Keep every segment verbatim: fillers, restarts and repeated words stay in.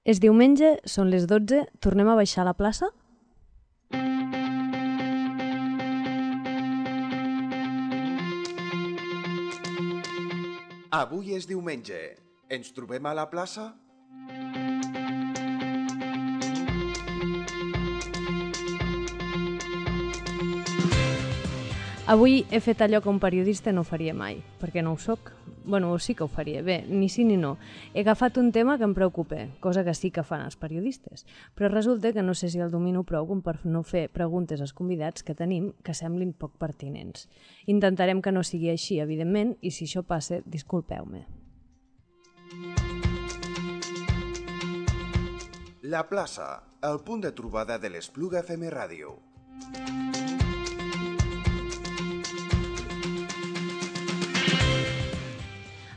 És diumenge, són les dotze, tornem a baixar a la plaça? Avui és diumenge. Ens trobem a la plaça? Avui he fet allò que un periodista no faria mai, perquè no ho soc. Bueno, sí que ho faria. Bé, ni sí ni no. He agafat un tema que em preocupa, cosa que sí que fan els periodistes. Però resulta que no sé si el domino prou com per no fer preguntes als convidats que tenim que semblin poc pertinents. Intentarem que no sigui així, evidentment, i si això passa, disculpeu-me. La plaça, el punt de trobada de l'Espluga F M Ràdio.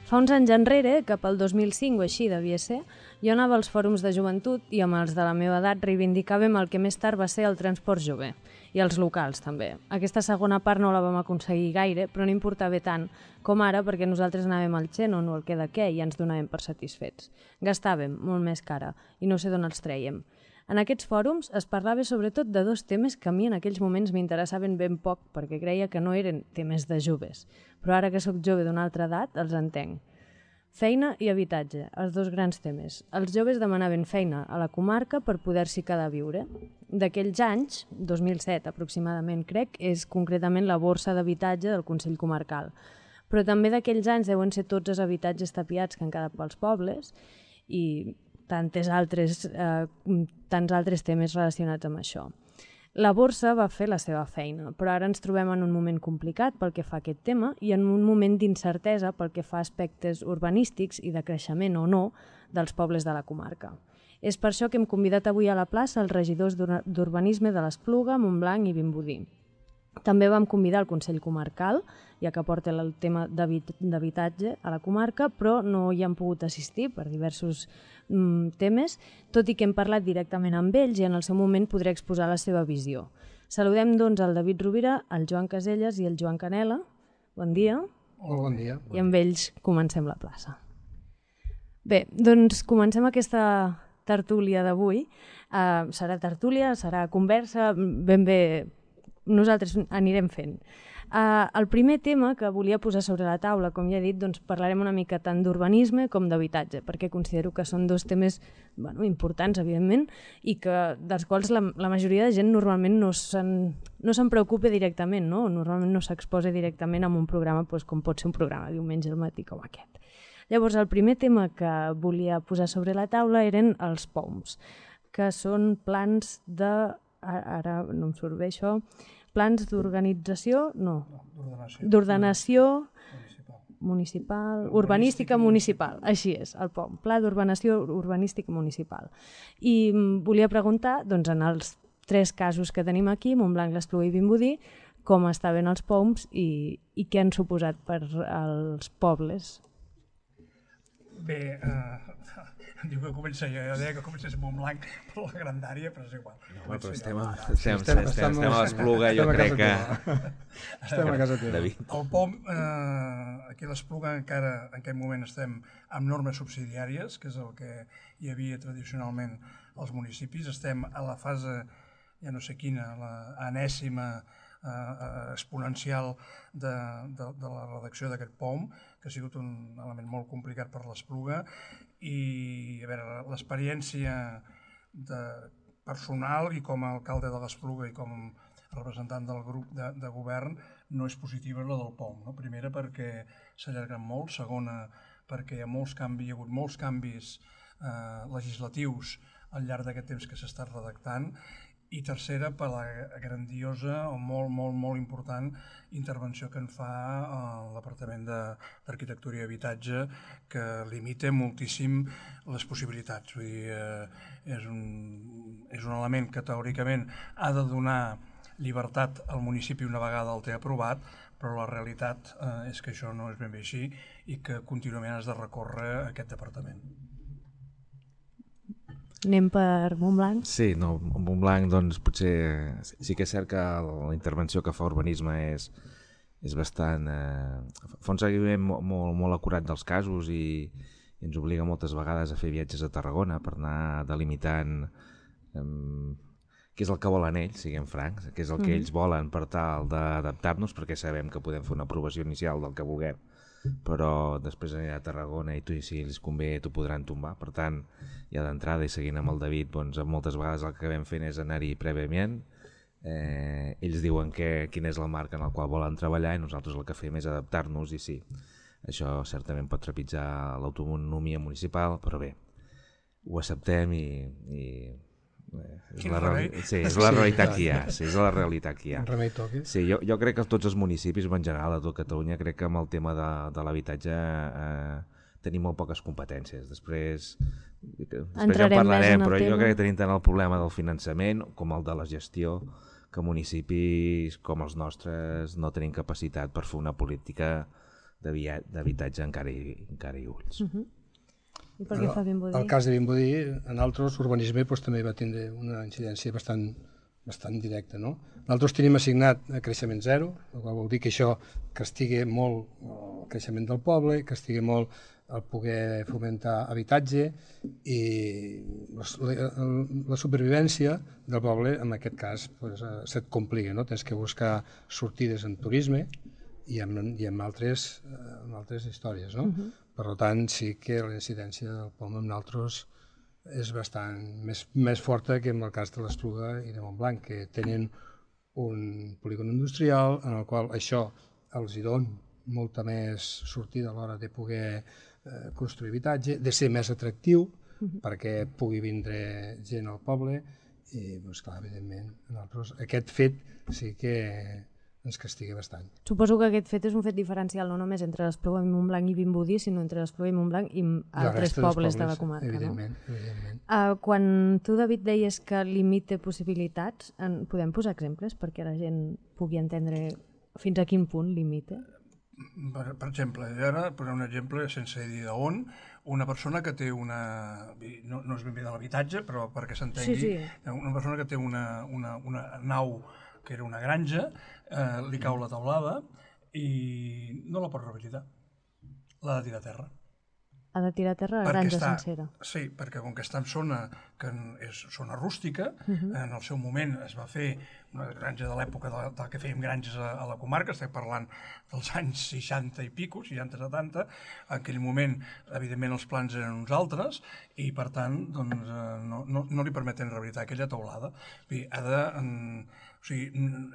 Fa uns anys enrere, cap al dos mil cinc o així devia ser, jo anava als fòrums de joventut i amb els de la meva edat reivindicàvem el que més tard va ser el transport jove, i els locals també. Aquesta segona part no la vam aconseguir gaire, però no importava tant com ara perquè nosaltres anàvem al Xenon o al Què de Què i ja ens donàvem per satisfets. Gastàvem molt més cara i no sé d'on els trèiem. En aquests fòrums es parlava sobretot de dos temes que a mi en aquells moments m'interessaven ben poc perquè creia que no eren temes de joves, però ara que sóc jove d'una altra edat els entenc. Feina i habitatge, els dos grans temes. Els joves demanaven feina a la comarca per poder-s'hi quedar a viure. D'aquells anys, dos mil set aproximadament crec, és concretament la borsa d'habitatge del Consell Comarcal. Però també d'aquells anys deuen ser tots els habitatges tapiats que han quedat pels pobles i tantes altres, eh, tants altres temes relacionats amb això. La borsa va fer la seva feina, però ara ens trobem en un moment complicat pel que fa a aquest tema i en un moment d'incertesa pel que fa a aspectes urbanístics i de creixement o no dels pobles de la comarca. És per això que hem convidat avui a la plaça els regidors d'Urbanisme de l'Espluga, Montblanc i Vimbodí. També vam convidar el Consell Comarcal, ja que porta el tema d'habitatge a la comarca, però no hi han pogut assistir per diversos mm, temes, tot i que hem parlat directament amb ells i en el seu moment podré exposar la seva visió. Saludem doncs el David Rovira, el Joan Caselles i el Joan Canela. Bon dia. Hola, bon dia. I amb ells comencem la plaça. Bé, doncs comencem aquesta tertúlia d'avui. Uh, serà tertúlia, serà conversa, ben bé nosaltres anirem fent. Uh, el primer tema que volia posar sobre la taula, com ja he dit, doncs parlarem una mica tant d'urbanisme com d'habitatge, perquè considero que són dos temes bueno, importants, evidentment, i que, dels quals la, la majoria de gent normalment no se'n no se'n preocupa directament, no? Normalment no s'exposa directament en un programa doncs, com pot ser un programa diumenge al matí com aquest. Llavors, el primer tema que volia posar sobre la taula eren els P O Ms, que són plans de... ara no em surt bé això... plans d'organització, no, d'ordenació municipal, municipal urbanística municipal, així és, el P O M, Pla d'Ordenació Urbanística Municipal. I volia preguntar, doncs, en els tres casos que tenim aquí, Montblanc, l'Espluga i Vimbodí, com estaven els P O Ms i, i què han suposat per als pobles. Bé, eh, diu que comença jo, jo deia que comencés amb Montblanc per la grandària, però és igual. No, però estem a, estem, estem, estem, estem a l'Espluga, jo crec que... Estem a casa teva. El P O M, eh, aquí a l'Espluga encara en aquest moment estem amb normes subsidiàries, que és el que hi havia tradicionalment als municipis. Estem a la fase, ja no sé quina, la enèsima eh, exponencial de, de, de la redacció d'aquest P O M, que ha sigut un element molt complicat per l'Espluga, i a veure, l'experiència de personal i com a alcalde de l'Espluga i com representant del grup de, de govern no és positiva la del P O M. No? Primera perquè s'allarguen molt, segona perquè hi ha molts canvis, hi ha hagut molts canvis eh, legislatius al llarg d'aquest temps que s'ha estat redactant, i tercera per la grandiosa o molt, molt, molt important intervenció que en fa el Departament d'Arquitectura i Habitatge, que limita moltíssim les possibilitats. Vull dir, eh, és, un, és un element que teòricament ha de donar llibertat al municipi una vegada el té aprovat, però la realitat eh, és que això no és ben bé així i que contínuament has de recórrer a aquest departament. Anem per Montblanc? Sí, no, Montblanc doncs potser sí que és cert que la intervenció que fa urbanisme és, és bastant... Eh, fa un seguiment molt, molt acurat dels casos i, i ens obliga moltes vegades a fer viatges a Tarragona per anar delimitant um, què és el que volen ells, siguem francs, què és el que ells volen per tal d'adaptar-nos, perquè sabem que podem fer una aprovació inicial del que vulguem, però després anirà a Tarragona i tu, si els convé, t'ho podran tombar. Per tant, ja d'entrada i seguint amb el David, doncs, moltes vegades el que acabem fent és anar-hi prèviament, eh, ells diuen que, quina és la marca en la qual volen treballar i nosaltres el que fem és adaptar-nos, i sí, això certament pot trepitjar l'autonomia municipal, però bé, ho acceptem i... i és la, reali... sí, és la realitat que hi ha, sí, és la realitat que hi ha. Remei toqui. Sí, jo, jo crec que tots els municipis, en general, a tot Catalunya, crec que amb el tema de, de l'habitatge eh, tenim molt poques competències. Després, després ja en parlarem, però tema. Jo crec que tenim tant el problema del finançament com el de la gestió, que municipis com els nostres no tenim capacitat per fer una política d'habitatge encara i, encara i ulls. Uh -huh. I per què fa Vimbodí? El cas de Vimbodí, en altres, urbanisme doncs, també va tindre una incidència bastant, bastant directa. No? Nosaltres tenim assignat a creixement zero, el qual vol dir que això castiga molt el creixement del poble, castiga molt el poder fomentar habitatge i la, la supervivència del poble, en aquest cas, doncs, se't complica. No? Tens que buscar sortides en turisme i en, i en, altres, en altres històries. No? Uh-huh. Per tant, sí que la incidència del P O M amb nosaltres és bastant més, més forta que en el cas de l'Espluga i de Montblanc, que tenen un polígon industrial en el qual això els hi dona molta més sortida a l'hora de poder eh, construir habitatge, de ser més atractiu uh-huh. perquè pugui vindre gent al poble i, doncs, clar, evidentment, nosaltres, aquest fet sí que ens castiga bastant. Suposo que aquest fet és un fet diferencial no només entre l'Espluga i Montblanc i Vimbodí, sinó entre l'Espluga i Montblanc i altres pobles, pobles de la comarca. Evidentment, no? evidentment. Uh, quan tu, David, deies que limita possibilitats, en, podem posar exemples perquè la gent pugui entendre fins a quin punt limita? Per, per exemple, ara posar un exemple sense dir d'on, una persona que té una... No, no és ben bé de l'habitatge, però perquè s'entengui, sí, sí. Una persona que té una, una, una nau que era una granja, eh, li cau la teulada i no la pot rehabilitar. L'ha de tirar a terra. Ha de tirar a terra la granja està, sencera. Sí, perquè com que està en zona, que és zona rústica, uh-huh. en el seu moment es va fer una granja de l'època de, de que fèiem granges a, a la comarca, estem parlant dels anys seixanta i pico, seixanta setanta, en aquell moment, evidentment, els plans eren uns altres, i per tant, doncs, no, no, no li permeten rehabilitar aquella teulada. Bé, ha de... En, o sigui,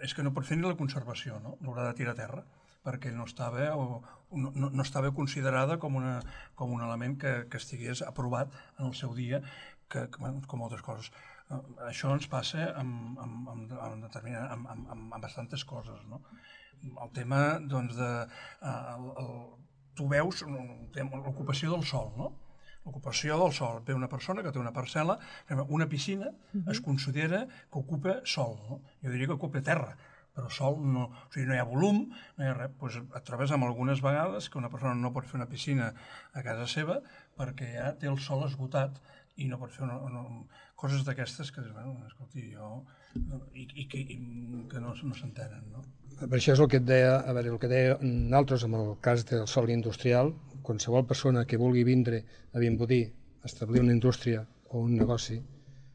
és que no pot fer ni la conservació, no? L'haurà de tirar a terra, perquè no estava, o, no, no estava considerada com, una, com un element que, que estigués aprovat en el seu dia, que, que, bueno, com altres coses. Uh, això ens passa amb, amb, amb, amb, amb, amb, amb, amb bastantes coses, no? El tema, doncs, de... Uh, el, el, tu veus l'ocupació del sòl, no? L'ocupació del sòl. Ve una persona que té una parcel·la, una piscina, uh-huh. es considera que ocupa sòl, no? Jo diria que ocupa terra, però sòl no, o sigui, no hi ha volum, no hi ha res. Pues et trobes amb algunes vegades que una persona no pot fer una piscina a casa seva perquè ja té el sòl esgotat i no pot fer una, una, coses d'aquestes que, bueno, escolti, jo... i, i, que, i que no, no s'entenen, no? Per això és el que et deia, a veure, el que deia nosaltres amb el cas del sòl industrial, qualsevol persona que vulgui vindre a Vimbodí, establir una indústria o un negoci,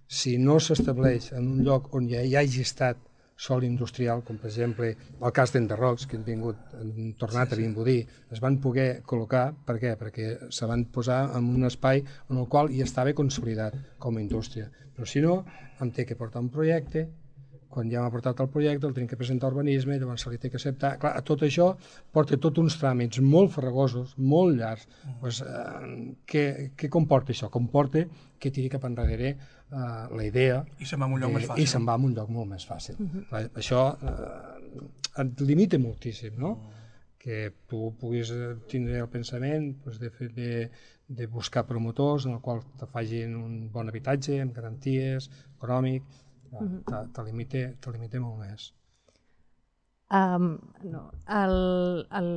si no s'estableix en un lloc on ja hi hagi estat sòl industrial, com per exemple el cas d'Enderrocs, que han vingut, han tornat sí, sí. a Vimbodí, es van poder col·locar, per què? Perquè se van posar en un espai en el qual hi estava consolidat com a indústria. Però si no, em té que portar un projecte, quan ja m'ha portat el projecte, el tinc que presentar a urbanisme, llavors se li té que acceptar. Clar, tot això porta tots uns tràmits molt farragosos, molt llargs. Mm. Pues, eh, què, què comporta això? Comporta que tiri cap enrere eh, la idea... I se'n va a un lloc de, més fàcil. I se'n va a un lloc molt més fàcil. Mm-hmm. Clar, això eh, et limita moltíssim, no? Mm. Que tu puguis tindre el pensament pues, de, de, de buscar promotors en el qual te facin un bon habitatge, amb garanties, econòmic... te, te, limita, te limita molt més. Um, no. el, el,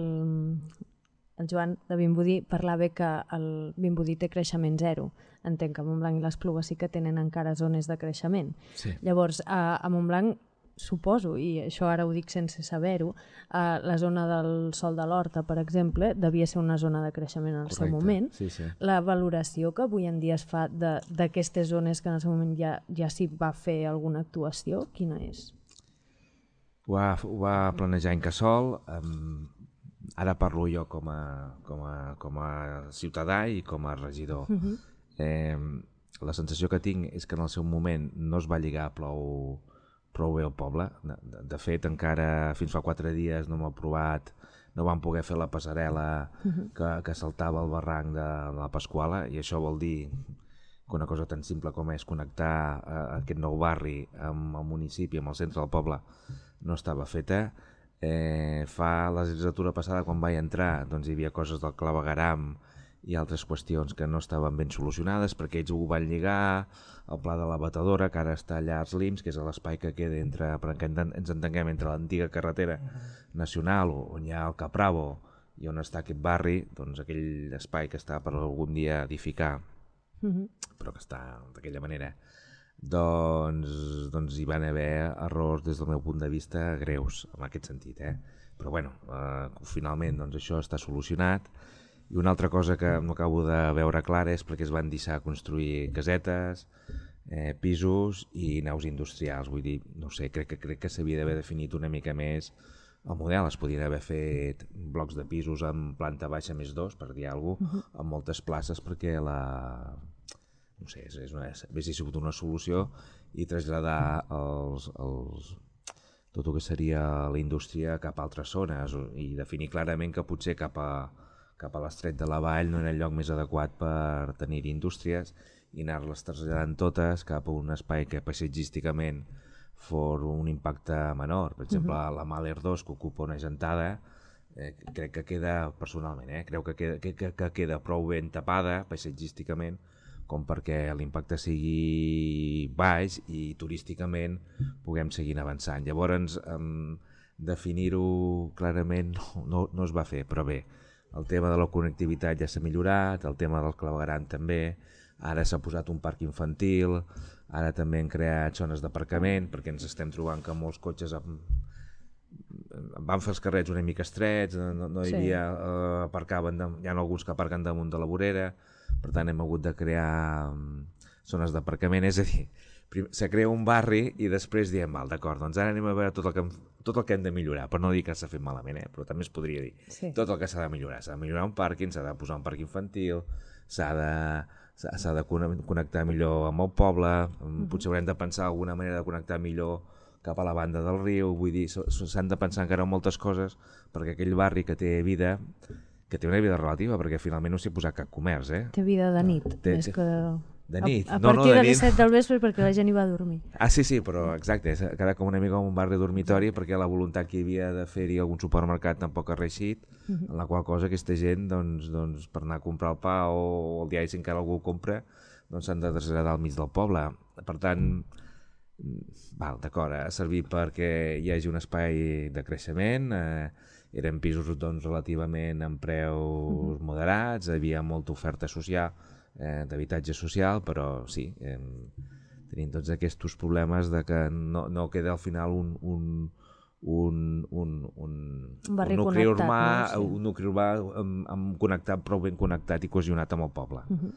el Joan de Vimbodí parlava que el Vimbodí té creixement zero. Entenc que a Montblanc i l'Espluga sí que tenen encara zones de creixement. Sí. Llavors, a, a Montblanc suposo, i això ara ho dic sense saber-ho, eh, la zona del Sòl de l'Horta, per exemple, devia ser una zona de creixement en el seu moment. Sí, sí. La valoració que avui en dia es fa d'aquestes zones que en el seu moment ja, ja s'hi va fer alguna actuació, quina és? Ho va, ho va planejar Incasòl. Um, ara parlo jo com a, com a, com a ciutadà i com a regidor. Uh-huh. eh, la sensació que tinc és que en el seu moment no es va lligar prou, prou bé al poble. De, de fet, encara fins fa quatre dies no m'ha aprovat, no van poder fer la passarel·la uh-huh. que, que saltava el barranc de la Pasquala, i això vol dir que una cosa tan simple com és connectar eh, aquest nou barri amb el municipi, amb el centre del poble, no estava feta. Eh, fa la legislatura passada, quan vaig entrar, doncs hi havia coses del clavegueram i altres qüestions que no estaven ben solucionades, perquè ells ho van lligar al pla de la Batedora, que ara està allà als Lims, que és l'espai que queda entre, perquè ens entenguem, entre l'antiga carretera nacional, on hi ha el Capravo, i on està aquest barri, doncs aquell espai que està per algun dia edificar, uh-huh. però que està d'aquella manera, doncs, doncs hi van haver errors des del meu punt de vista greus, en aquest sentit, eh? Però bueno, eh, finalment doncs, això està solucionat. I una altra cosa que no acabo de veure clara és perquè es van deixar construir casetes, eh, pisos i naus industrials. Vull dir, no sé, crec que crec que s'havia d'haver definit una mica més el model. Es podien haver fet blocs de pisos amb planta baixa més dos, per dir alguna cosa, uh-huh. amb moltes places, perquè la... no sé, és una, hauria sigut una solució, i traslladar els, els, tot el que seria la indústria cap a altres zones, i definir clarament que potser cap a cap a l'Estret de la Vall no era el lloc més adequat per tenir indústries, i anar-les traslladant totes cap a un espai que paisatgísticament fos un impacte menor. Per exemple, uh-huh. la Mahler dos, que ocupa una gentada, eh, crec que queda, personalment, eh, crec que queda, que, que, que queda prou ben tapada paisatgísticament com perquè l'impacte sigui baix i turísticament puguem seguir avançant. Llavors, eh, definir-ho clarament no, no, no es va fer, però bé, el tema de la connectivitat ja s'ha millorat, el tema del clavegueram també, ara s'ha posat un parc infantil, ara també han creat zones d'aparcament, perquè ens estem trobant que molts cotxes amb... van fer els carrets una mica estrets, no, no hi havia, sí. eh, aparcaven, de... hi ha alguns que aparquen damunt de la vorera, per tant hem hagut de crear zones d'aparcament, és a dir, se crea un barri i després diem, val, d'acord, doncs ara anem a veure tot el que hem, tot el que hem de millorar, però no dir que s'ha fet malament, eh? Però també es podria dir, sí. tot el que s'ha de millorar, s'ha de millorar un pàrquing, s'ha de posar un parc infantil, s'ha de, s'ha de connectar millor amb el poble, mm-hmm. potser haurem de pensar alguna manera de connectar millor cap a la banda del riu, vull dir, s'han de pensar encara en moltes coses, perquè aquell barri que té vida, que té una vida relativa, perquè finalment no s'hi ha posat cap comerç, eh? Té vida de nit, té, més que... De nit. A, a no, partir no, de, de les set del vespre, perquè la gent hi va a dormir. Ah, sí, sí, però exacte, és quedar com una mica en un barri dormitori, perquè la voluntat que hi havia de fer-hi algun supermercat tampoc ha reeixit, uh-huh. en la qual cosa aquesta gent, doncs, doncs, per anar a comprar el pa o el diari, si encara algú ho compra, doncs s'han de traslladar al mig del poble. Per tant, val, d'acord, ha servit perquè hi hagi un espai de creixement, eh, eren pisos doncs, relativament amb preus uh-huh. moderats, hi havia molta oferta social, Eh, d'habitatge social, però sí, eh, tenim tots aquests problemes de que no, no queda al final un, un, un, un, un, un nucli urbà, no? Sí. Un nucli urbà amb, amb connectat, prou ben connectat i cohesionat amb el poble. Uh-huh.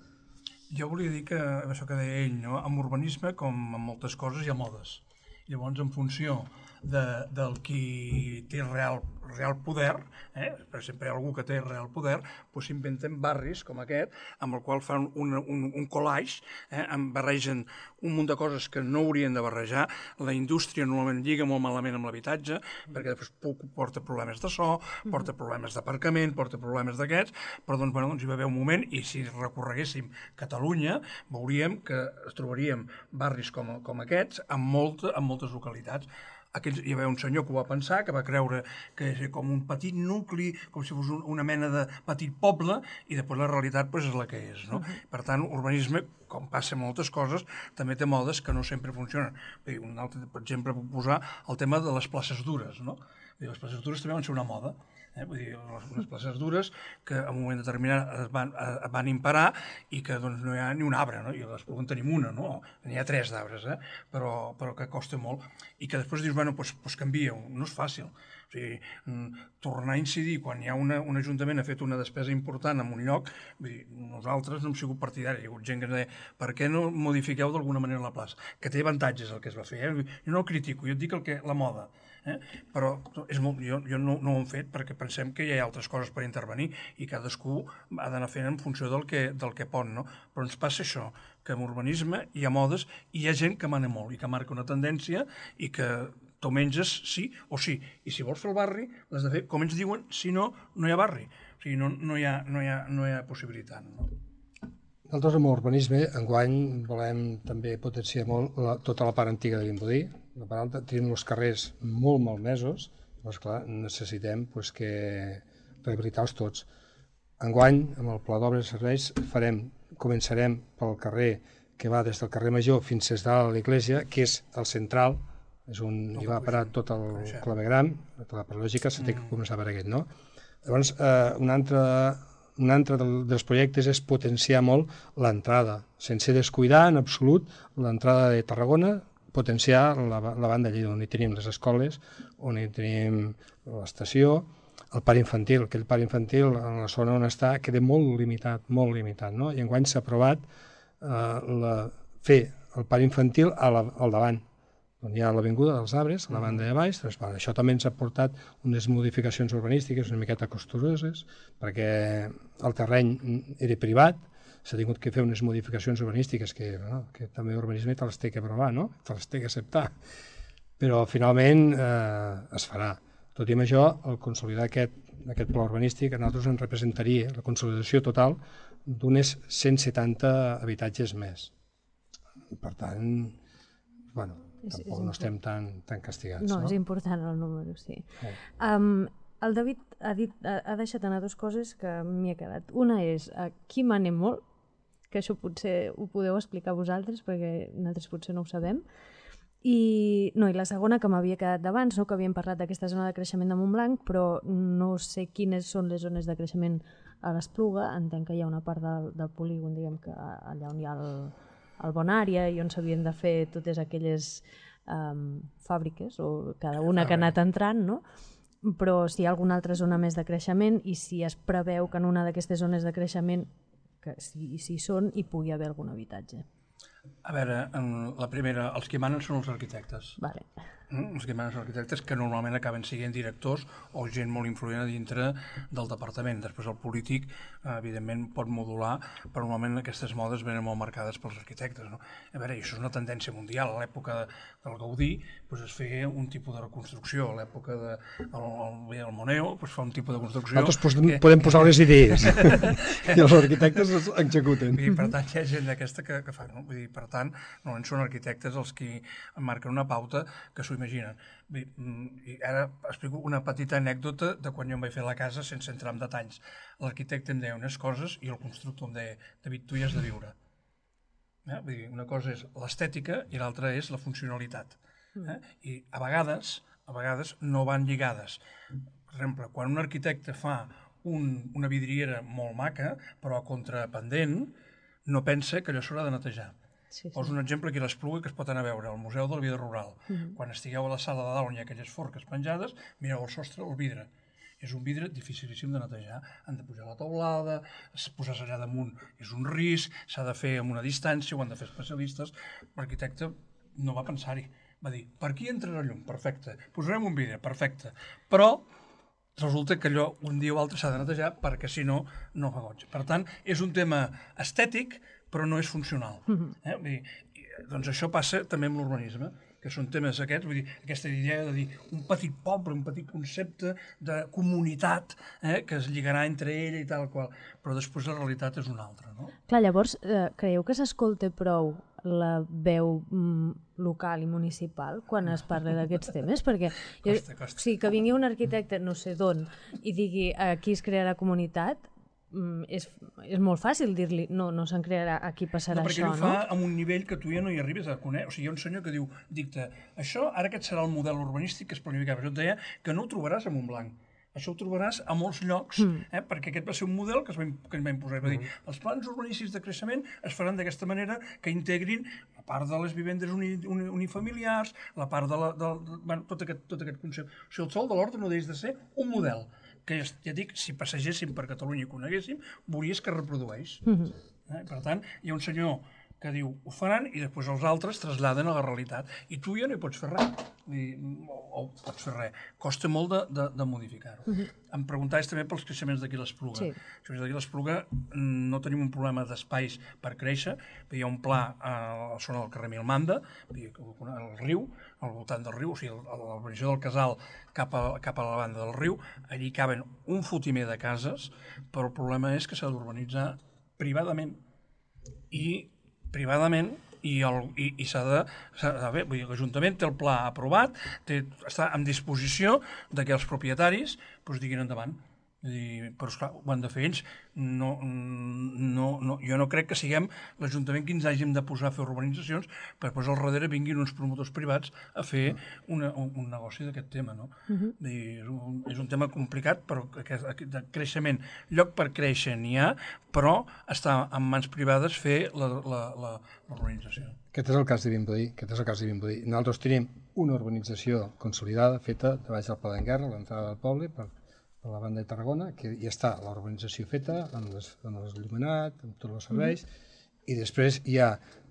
Jo volia dir que, això que deia ell, no? Amb urbanisme, com en moltes coses, hi ha modes. Llavors, en funció de, del qui té real, real poder, eh? Per exemple, hi ha algú que té real poder, doncs s'inventen barris com aquest, amb el qual fan un, un, un collage, eh? barregen un munt de coses que no haurien de barrejar. La indústria normalment lliga molt malament amb l'habitatge, perquè després porta problemes de so, porta problemes d'aparcament, porta problemes d'aquests, però doncs, bueno, doncs hi va haver un moment, i si recorreguéssim Catalunya, veuríem que trobaríem barris com, com aquests en, molta, en moltes localitats. Aquells, hi va haver un senyor que ho va pensar, que va creure que és com un petit nucli, com si fos un, una mena de petit poble, i després la realitat pues, és la que és. No? Uh-huh. Per tant, urbanisme, com passa en moltes coses, també té modes que no sempre funcionen. Un altre, per exemple, puc posar el tema de les places dures. No? Les places dures també van ser una moda. Eh? Vull dir, unes places dures que en un moment determinat es van, es van imparar i que doncs, no hi ha ni un arbre, no? I a l'Espluga en tenim una, no? N'hi ha tres d'arbres, eh? però, però que costa molt. I que després dius, bueno, doncs, doncs canvia, no és fàcil. O sigui, tornar a incidir quan hi ha una, un ajuntament ha fet una despesa important en un lloc, vull dir, nosaltres no hem sigut partidaris, hi ha hagut gent que ens deia, per què no modifiqueu d'alguna manera la plaça? Que té avantatges el que es va fer, eh? Jo no ho critico, jo et dic el que, la moda. Eh? Però és molt, jo, jo no, no ho hem fet perquè pensem que hi ha altres coses per intervenir i cadascú ha d'anar fent en funció del que, del que pot, no? Però ens passa això, que en urbanisme hi ha modes i hi ha gent que mana molt i que marca una tendència i que tu menges sí o sí, i si vols fer el barri l'has de fer com ens diuen, si no, no hi ha barri, o sigui, no, no, hi, ha, no, hi, ha, no hi ha possibilitat, no? Nosaltres amb l'urbanisme enguany volem també potenciar molt la, tota la part antiga de Vimbodí. La part alta, tenim els carrers molt malmesos, però esclar, necessitem pues, que rehabilitar-los tots. Enguany, amb el pla d'obres i serveis, farem, començarem pel carrer que va des del carrer Major fins a dalt a l'església, que és el central, és on hi va parar tot el clavegram, tota la lògica s'ha de començar per aquest, no? Llavors, eh, un altre... Un altre dels projectes és potenciar molt l'entrada, sense descuidar en absolut l'entrada de Tarragona, potenciar la, la banda allà on hi tenim les escoles, on hi tenim l'estació, el parc infantil, aquell parc infantil en la zona on està queda molt limitat, molt limitat, no? I enguany s'ha aprovat eh, la, fer el parc infantil a la, al davant, on hi ha l'avinguda dels arbres, a la banda de baix. Doncs, bueno, això també ens ha portat unes modificacions urbanístiques una miqueta costuroses, perquè el terreny era privat, s'ha tingut que fer unes modificacions urbanístiques que, bueno, que també l'urbanisme te les té que aprovar, no? Te les té que acceptar. Però finalment eh, es farà. Tot i amb això, el consolidar aquest, aquest pla urbanístic a nosaltres ens representaria la consolidació total d'unes cent setanta habitatges més. Per tant, bueno, tampoc no estem tan, tan castigats. No, no, és important el número, sí. Eh. Um, el David ha, dit, ha, ha deixat anar dues coses que m'hi ha quedat. Una és, aquí manem molt, que això potser ho podeu explicar vosaltres, perquè nosaltres potser no ho sabem. I, no, i la segona, que m'havia quedat d'abans, no, que havíem parlat d'aquesta zona de creixement de Montblanc, però no sé quines són les zones de creixement a l'Espluga. Entenc que hi ha una part del, del polígon, diguem que allà on hi ha el... al Bonària i on s'havien de fer totes aquelles um, fàbriques, o cada una que ha anat entrant, no? Però si hi ha alguna altra zona més de creixement i si es preveu que en una d'aquestes zones de creixement, que si, si són, hi pugui haver algun habitatge. A veure, la primera, els que manen són els arquitectes. Vale. Els que manen són arquitectes que normalment acaben sent directors o gent molt influent a dintre del departament. Després el polític, evidentment, pot modular, però normalment aquestes modes venen molt marcades pels arquitectes. No? A veure, això és una tendència mundial. A l'època del Gaudí doncs es feia un tipus de reconstrucció. A l'època del de Moneo doncs fa un tipus de construcció... Nosaltres que... podem posar les idees i els arquitectes les executen. I per tant, hi ha gent d'aquesta que, que fa. No? Vull dir, per tant, normalment són arquitectes els que marquen una pauta que s'ho imaginen. Bé, i ara explico una petita anècdota de quan jo em vaig fer la casa sense entrar en detalls. L'arquitecte em deia unes coses i el constructor em deia, David, tu hi has de viure. Eh? Vull dir, una cosa és l'estètica i l'altra és la funcionalitat. Eh? I a vegades, a vegades no van lligades. Per exemple, quan un arquitecte fa un, una vidriera molt maca, però a contrapendent, no pensa que allò s'haurà de netejar. Sí, sí. Poso un exemple aquí a l'Espluga que es pot anar a veure, al Museu de la Vida Rural. Mm-hmm. Quan estigueu a la sala de dalt on hi ha aquelles forques penjades, mireu al sostre el vidre. És un vidre dificilíssim de netejar. Han de pujar la teulada, posar-se allà damunt és un risc, s'ha de fer amb una distància, ho han de fer especialistes. L'arquitecte no va pensar-hi. Va dir, per aquí entrarà llum, perfecte. Posarem un vidre, perfecte. Però resulta que allò un dia o altre s'ha de netejar perquè si no, no fa goig. Per tant, és un tema estètic, però no és funcional. Eh? Vull dir, doncs això passa també amb l'urbanisme, que són temes aquests, vull dir, aquesta idea de dir un petit poble, un petit concepte de comunitat eh, que es lligarà entre ella i tal qual, però després la realitat és una altra, no? Clar, llavors, eh, creieu que s'escolta prou la veu mm, local i municipal quan es parla d'aquests temes? Perquè jo, costa, costa. Sí, que vingui un arquitecte no sé d'on i digui aquí es crearà comunitat, és, és molt fàcil dir-li no, no se'n crearà, aquí passarà no, perquè això, no? Perquè ho fa a un nivell que tu ja no hi arribes a conèixer. O sigui, hi ha un senyor que diu, dicta, això, ara aquest serà el model urbanístic que es planificava. Jo et deia que no ho trobaràs a Montblanc. Això ho trobaràs a molts llocs, mm. eh? perquè aquest va ser un model que es va, que ens va imposar. Va dir, els plans urbanístics de creixement es faran d'aquesta manera que integrin la part de les vivendes uni, uni, unifamiliars, la part de la... De, de, bueno, tot, aquest, tot aquest concepte. O sigui, el sol de l'ordre no deixa de ser un model que, ja dic, si passegéssim per Catalunya i coneguéssim, veuries que reprodueix. Mm-hmm. eh? Per tant, hi ha un senyor que diu, ho faran, i després els altres traslladen a la realitat. I tu ja no hi pots fer res. I, o, o pots fer res. Costa molt de, de, de modificar-ho. Mm-hmm. Em preguntaves també pels creixements d'aquí l'Espluga. Sí. D'aquí l'Espluga no tenim un problema d'espais per créixer. Hi ha un pla a la zona del carrer Milmanda, al riu, al voltant del riu, o sigui, a la urbanització del Casal cap a, cap a la banda del riu. Allí caben un fotimer de cases, però el problema és que s'ha d'urbanitzar privadament. I privadament i, el, i, i s'ha de... Bé, vull dir, l'Ajuntament té el pla aprovat, té, està en disposició de que els propietaris doncs, diguin endavant. I, però esclar, ho han de fer ells. No, no, no, jo no crec que siguem l'Ajuntament que ens hàgim de posar a fer urbanitzacions per després al darrere vinguin uns promotors privats a fer una, un, un negoci d'aquest tema. No? Uh-huh. I és, un, és un tema complicat, però de creixement, lloc per créixer n'hi ha, però està en mans privades fer l'urbanització. Aquest és el cas de Vimbodí. Aquest és el cas de Vimbodí. Nosaltres tenim una urbanització consolidada, feta de baix del Pla d'Enguerra, a l'entrada del poble, per a la banda de Tarragona, que ja està la urbanització feta, amb l'il·luminat, amb tots els serveis, mm-hmm. i després hi ha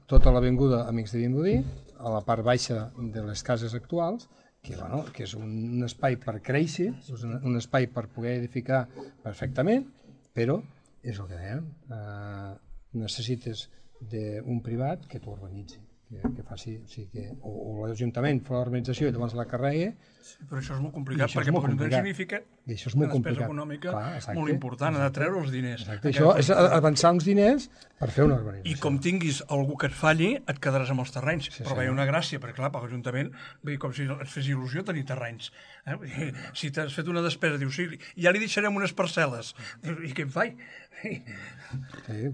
tota l'avinguda Amics de Vimbodí, a la part baixa de les cases actuals, que, bueno, que és un espai per créixer, és un, un espai per poder edificar perfectament, però és el que dèiem, eh, necessites d'un privat que t'ho urbanitzi. Que, que faci, o sigui que, o, o l'Ajuntament fa l'organització i llavors la carregui. Sí, però això és molt complicat, perquè per l'Ajuntament significa I això és molt una despesa complicat. econòmica Clar, molt important, ha de treure els diners. Exacte. Això és avançar uns diners per fer una urbanització. I com tinguis algú que et falli, et quedaràs amb els terrenys. Sí, però sí, hi ha no? una gràcia, perquè clar, per l'Ajuntament, com si et fes il·lusió tenir terrenys. Eh? Si t'has fet una despesa, dius, sí, ja li deixarem unes parcel·les. I què em faig? Sí,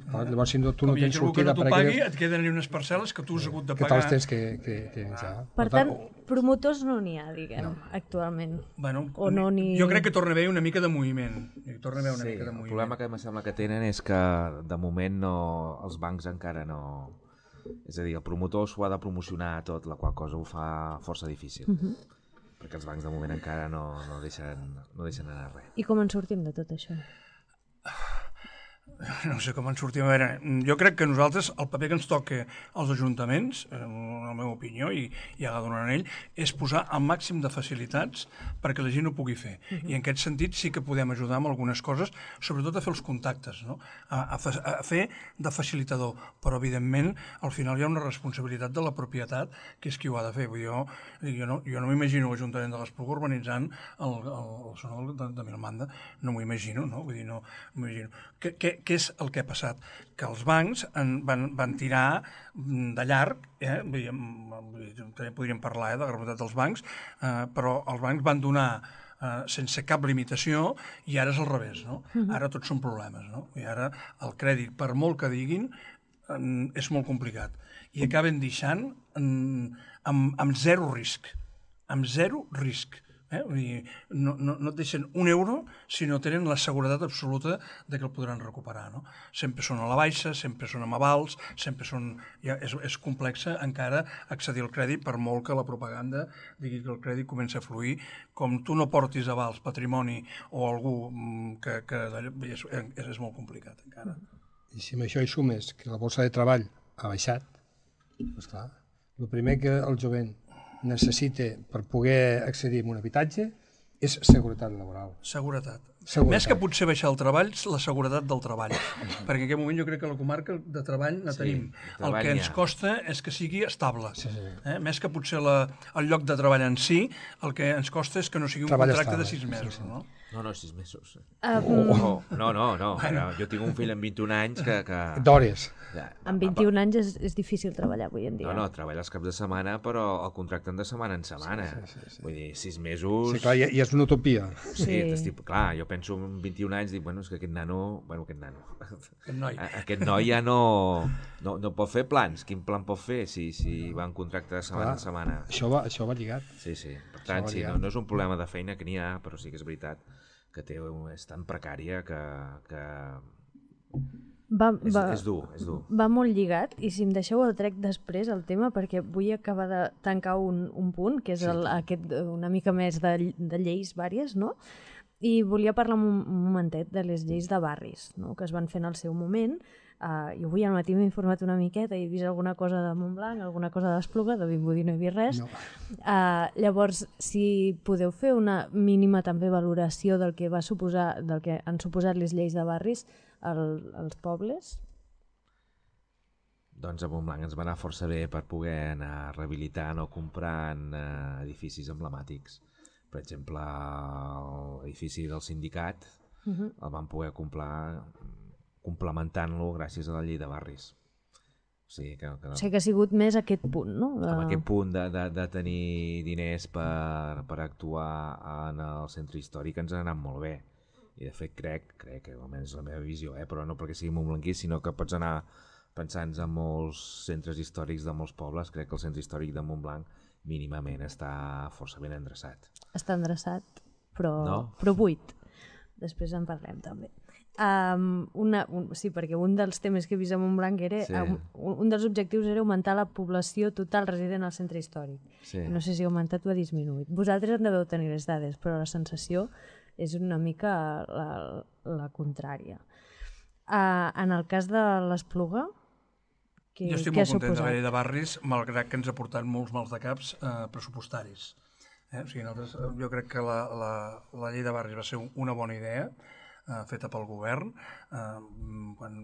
clar, llavors si no, tu no tens sortida per aquelles... Com hi ha pagui, et queden unes parcel·les que tu has hagut de pagar. Que te'ls tens que, que, que iniciar. Per tant, promotors no n'hi ha, diguem, no. actualment. Bueno, o no ni... Jo crec que torna a haver una mica de moviment. Torna a haver una sí, mica de moviment. El problema que em sembla que tenen és que de moment no, els bancs encara no... És a dir, el promotor s'ho ha de promocionar tot, la qual cosa ho fa força difícil. Uh-huh. Perquè els bancs de moment encara no, no, deixen, no deixen anar res. I com en sortim de tot això? No sé com en sortim. A veure, jo crec que nosaltres, el paper que ens toca als ajuntaments, en la meva opinió, i, i ja la donaran ell, és posar el màxim de facilitats perquè la gent ho pugui fer. Uh-huh. I en aquest sentit sí que podem ajudar amb algunes coses, sobretot a fer els contactes, no? a, a, a fer de facilitador. Però, evidentment, al final hi ha una responsabilitat de la propietat, que és qui ho ha de fer. Jo, jo no, jo no m'imagino l'Ajuntament de l'Espluga urbanitzant el, el, el sonor de, de Milmanda. No m'ho imagino, no? Vull dir, no m'imagino. Què, què, què és el que ha passat? Que els bancs en van, van tirar de llarg, eh? també podríem parlar eh, de la gravetat dels bancs, eh, però els bancs van donar eh, sense cap limitació i ara és al revés, no? Uh-huh. Ara tots són problemes, no? I ara el crèdit, per molt que diguin, eh, és molt complicat. I acaben deixant eh, amb, amb zero risc, amb zero risc. Eh? Vull dir, no, no, no et deixen un euro si no tenen la seguretat absoluta de que el podran recuperar. No? Sempre són a la baixa, sempre són amb avals, sempre són... Ja és, és complexa encara accedir al crèdit per molt que la propaganda digui que el crèdit comença a fluir. Com tu no portis avals, patrimoni o algú que... que és, és, és molt complicat encara. I si amb això hi sumes que la borsa de treball ha baixat, doncs clar, el primer que el jovent necessita per poder accedir a un habitatge és seguretat laboral. Seguretat. Seguretat. Més que potser baixar el treball, la seguretat del treball. Perquè en aquest moment jo crec que la comarca de treball la sí, tenim. El que ens costa és que sigui estable. Sí, sí. Eh? Més que potser la, el lloc de treball en si, el que ens costa és que no sigui un treball contracte estable. De sis mesos. Sí, sí. No? No, no, sis mesos. Um... Oh, no, no, no. Bueno. Jo tinc un fill amb vint-i-un anys que... que... D'hores. Ja, amb vint-i-un anys és, és difícil treballar avui en dia. No, no, treballa els caps de setmana, però el contracten de setmana en setmana. Sí, sí, sí, sí. Vull dir, sis mesos... Sí, clar, i, i és una utopia. Sí, sí. Estic... clar, jo penso penso en vint-i-un anys, dic, bueno, és que aquest nano, bueno, aquest nano, aquest noi, aquest noi ja no, no, no pot fer plans. Quin plan pot fer si, si va en contracte de setmana a setmana? Això va, això va lligat. Sí, sí. Per tant, sí, no, no és un problema de feina que n'hi ha, però sí que és veritat que té, és tan precària que... que... Va, és, va, és dur, és dur. Va molt lligat, i si em deixeu el trec després el tema, perquè vull acabar de tancar un, un punt, que és el, sí. aquest, una mica més de, de lleis vàries, no? I volia parlar un, un momentet de les lleis de barris, no? Que es van fer en el seu moment. Uh, jo avui al matí m'he informat una miqueta i he vist alguna cosa de Montblanc, alguna cosa d'Espluga, de Vimbodí no he vist res. No. Uh, llavors, si podeu fer una mínima també valoració del que va suposar, del que han suposat les lleis de barris al, als pobles? Doncs a Montblanc ens va anar força bé per poder anar rehabilitant o comprant eh, edificis emblemàtics. Per exemple, l'edifici del sindicat uh-huh. el van poder comprar complementant-lo gràcies a la llei de barris. O sigui que, que... O sigui que ha sigut més aquest punt, no? De... Amb aquest punt de, de, de tenir diners per, per actuar en el centre històric ens ha anat molt bé. I de fet crec, crec que almenys és la meva visió, eh? Però no perquè sigui montblanquí, sinó que pots anar pensant en molts centres històrics de molts pobles. Crec que el centre històric de Montblanc mínimament està força ben endreçat. Està endreçat, però, no? però buit. Després en parlem també. Um, una, un, sí, perquè un dels temes que he vist a Montblanc era, sí. um, un dels objectius era augmentar la població total resident al centre històric. Sí. No sé si ha augmentat o ha disminuït. Vosaltres en deveu tenir les dades, però la sensació és una mica la, la contrària. Uh, en el cas de l'Espluga, què, jo estic què molt content suposat? de la llei de barris, malgrat que ens ha portat molts mals de caps eh, pressupostaris. Eh? O sigui, nosaltres, jo crec que la, la, la llei de barris va ser una bona idea, eh, feta pel govern, eh, quan,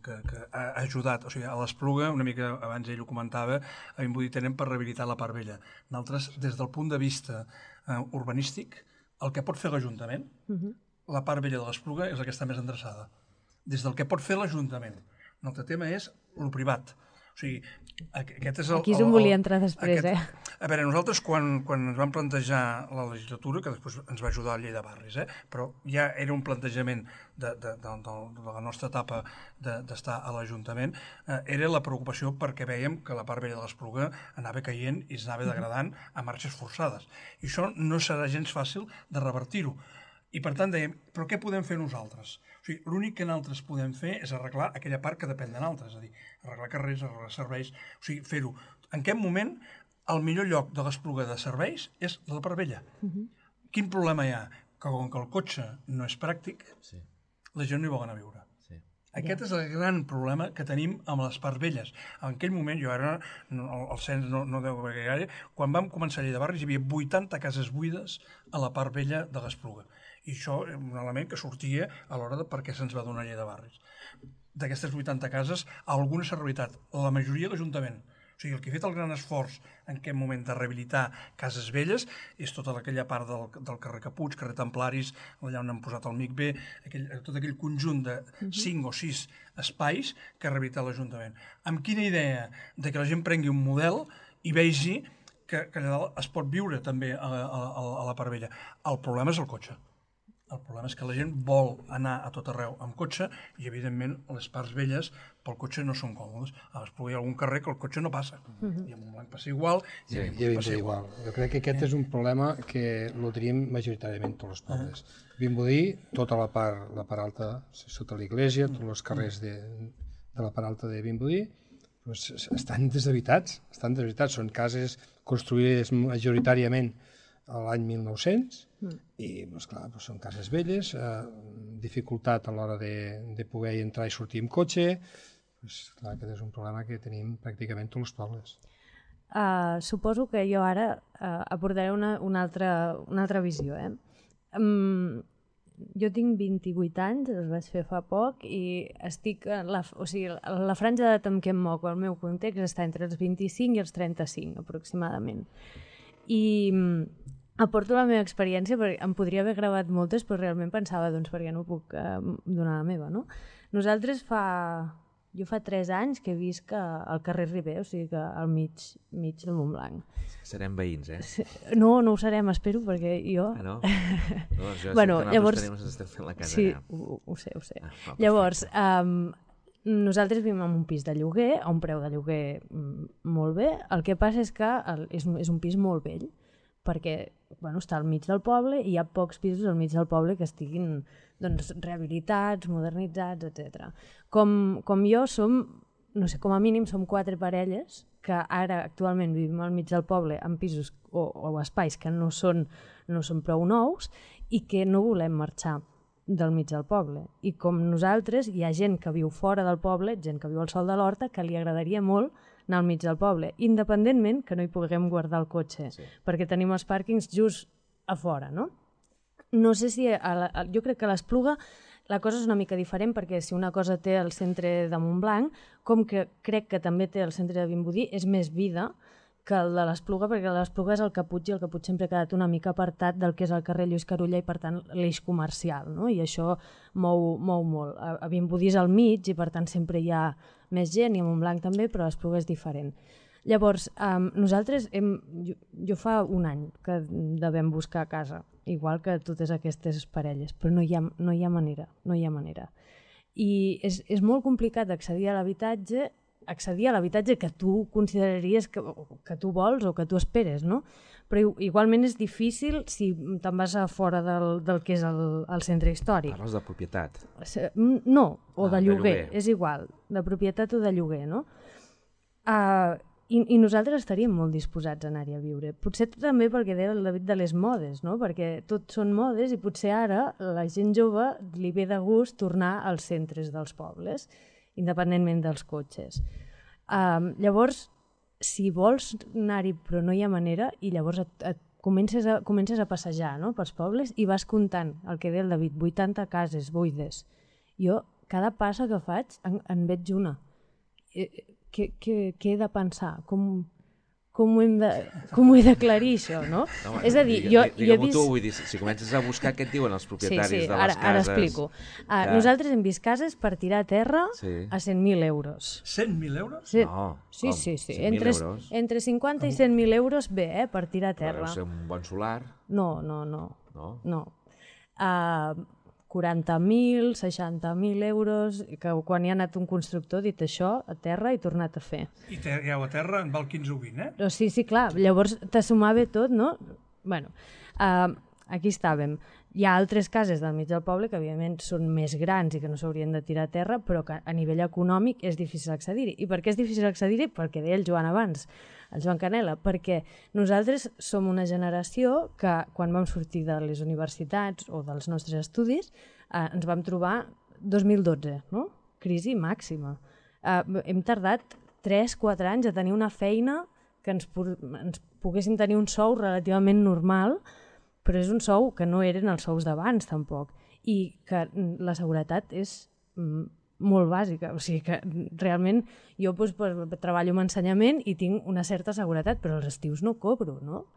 que, que ha ajudat, o sigui, a l'Espluga, una mica abans ell ho comentava, a Vimbodí tenen per rehabilitar la part vella. Nosaltres, des del punt de vista eh, urbanístic, el que pot fer l'Ajuntament, uh-huh. la part vella de l'Espluga és la que està més endreçada. Des del que pot fer l'Ajuntament. Un altre tema és el privat. O sigui, aquest és el... Aquí és on volia entrar després, aquest, eh? A veure, nosaltres quan, quan ens vam plantejar la legislatura, que després ens va ajudar la llei de barris, eh? Però ja era un plantejament de, de, de, de, de la nostra etapa d'estar de, a l'Ajuntament, eh, era la preocupació perquè vèiem que la part vella de l'Espluga anava caient i s'anava degradant a marxes forçades. I això no serà gens fàcil de revertir-ho. I per tant dèiem, però què podem fer nosaltres? O sigui, l'únic que nosaltres podem fer és arreglar aquella part que depèn de nosaltres, és a dir, arreglar carrers, arreglar serveis, o sigui, fer-ho. En aquest moment, el millor lloc de l'Espluga de serveis és la part vella. Uh-huh. Quin problema hi ha? Que com que el cotxe no és pràctic, sí. la gent no hi vol anar a viure. Sí. Aquest yeah. és el gran problema que tenim amb les parts velles. En aquell moment, jo ara, no, el cens no, no deu haver gaire, quan vam començar a llei de barris hi havia vuitanta cases buides a la part vella de l'Espluga. I això és un element que sortia a l'hora de per què se'ns va donar llei de barris. D'aquestes vuitanta cases, alguna s'ha rehabilitat, la majoria a l'Ajuntament. O sigui, el que ha fet el gran esforç en aquest moment de rehabilitar cases velles és tota aquella part del, del carrer Capuig, carrer Templaris, allà on han posat el M I C B, aquell, tot aquell conjunt de cinc o sis espais que ha rehabilitat l'Ajuntament. Amb quina idea de que la gent prengui un model i vegi que, que allà dalt es pot viure també a, a, a la part vella. El problema és el cotxe. El problema és que la gent vol anar a tot arreu amb cotxe i, evidentment, les parts velles pel cotxe no són còmodes. A l'Espluga hi ha algun carrer que el cotxe no passa. Uh-huh. I a Montblanc passa igual. I sí, a passa igual. igual. Jo crec que aquest eh? és un problema que el tenim majoritàriament tots els pobles. Uh-huh. Vimbodí, tota la part, la part alta, sota l'església, tots els carrers de, de la part alta de Vimbodí, doncs estan deshabitats. Estan deshabitats. Són cases construïdes majoritàriament a l'any mil nou-cents mm. i doncs, clar, doncs són cases velles, eh, dificultat a l'hora de, de poder entrar i sortir amb cotxe, doncs, clar, aquest és un problema que tenim pràcticament tots els pobles. Uh, suposo que jo ara uh, aportaré una, una, altra, una altra visió. Eh? Um, jo tinc vint-i-vuit anys, els vaig fer fa poc i estic en la, o sigui, la franja d'edat en què em moc, el meu context està entre els vint-i-cinc i els trenta-cinc aproximadament. I aporto la meva experiència, perquè em podria haver gravat moltes, però realment pensava, doncs, perquè no puc eh, donar la meva, no? Nosaltres fa Jo fa tres anys que visc al carrer Riber, o sigui que al mig, mig de Montblanc. Serem veïns, eh? No, no ho serem, espero, perquè jo... Ah, no? No, jo bueno, sé que llavors... tenim, ens estem fent la casa sí, allà. ho, ho sé, ho sé. Ah, va, llavors, um, nosaltres vivim en un pis de lloguer, a un preu de lloguer molt bé. El que passa és que el, és, un, és un pis molt vell, perquè bueno, està al mig del poble i hi ha pocs pisos al mig del poble que estiguin doncs, rehabilitats, modernitzats, etcètera. Com, com jo som, no sé, com a mínim som quatre parelles que ara actualment vivim al mig del poble en pisos o, o espais que no són, no són prou nous i que no volem marxar del mig del poble. I com nosaltres, hi ha gent que viu fora del poble, gent que viu al Sol de l'Horta, que li agradaria molt anar al mig del poble, independentment que no hi puguem guardar el cotxe, sí. perquè tenim els pàrquings just a fora, no? No sé si... A la, a, jo crec que a l'Espluga la cosa és una mica diferent, perquè si una cosa té el centre de Montblanc, com que crec que també té el centre de Vimbodí, és més vida que el de l'Espluga, perquè l'Espluga és el Caputx i el Caputx sempre ha quedat una mica apartat del que és el carrer Lluís Carulla i, per tant, l'eix comercial, no? I això mou, mou molt. A, a Vimbodí és al mig i, per tant, sempre hi ha més gent, i a Montblanc també, però l'Espluga és diferent. Llavors, um, nosaltres, hem, jo, jo fa un any que devem buscar casa, igual que totes aquestes parelles, però no hi ha, no hi ha manera, no hi ha manera. I és, és molt complicat accedir a l'habitatge, accedir a l'habitatge que tu consideraries que, que tu vols o que tu esperes, no? Però igualment és difícil si te'n vas a fora del, del que és el, el centre històric. Parles de propietat? No, o ah, de, lloguer, de lloguer, és igual, de propietat o de lloguer, no? Uh, i, I nosaltres estaríem molt disposats a anar-hi a viure. Potser també perquè deia el David de les modes, no? Perquè tot són modes i potser ara la gent jove li ve de gust tornar als centres dels pobles, independentment dels cotxes. Um, llavors, si vols anar-hi però no hi ha manera, i llavors et, et comences, a, comences a passejar, no?, pels pobles i vas comptant el que deia el David, vuitanta cases buides. Jo, cada passa que faig, en, en veig una. Què, què, què he de pensar? Com, com, ho hem de, com ho he d'aclarir, això, no? no bueno, és a dir, digue, jo, jo he vist... tu, vull dir, si comences a buscar, què et diuen els propietaris sí, sí, de les ara, cases? Ara explico. Uh, que... Nosaltres hem vist cases per tirar a terra sí. a cent mil euros. cent mil euros? Sí. No, sí, com? sí, sí. cent mil Entre, euros? entre cinquanta i cent mil euros bé, eh, per tirar a terra. Però deu ser un bon solar? No, no, no. No? No. Uh, quaranta mil, seixanta mil euros, que quan hi ha anat un constructor ha dit això a terra i tornat a fer. I terreu a terra en val quinze o vint, eh? Però sí, sí, clar, llavors t'assumava tot, no? Bueno, uh, aquí estàvem. Hi ha altres cases del mig del poble que evidentment són més grans i que no s'haurien de tirar a terra, però que a nivell econòmic és difícil accedir-hi. I per què és difícil accedir-hi? Perquè deia el Joan abans, el Joan Canela, perquè nosaltres som una generació que quan vam sortir de les universitats o dels nostres estudis eh, ens vam trobar dos mil dotze, no? Crisi màxima. Eh, hem tardat tres quatre anys a tenir una feina que ens, ens poguéssim tenir un sou relativament normal, però és un sou que no eren els sous d'abans tampoc, i que la seguretat és molt bàsica, o sigui que realment jo doncs, treballo en ensenyament i tinc una certa seguretat, però els estius no cobro, no?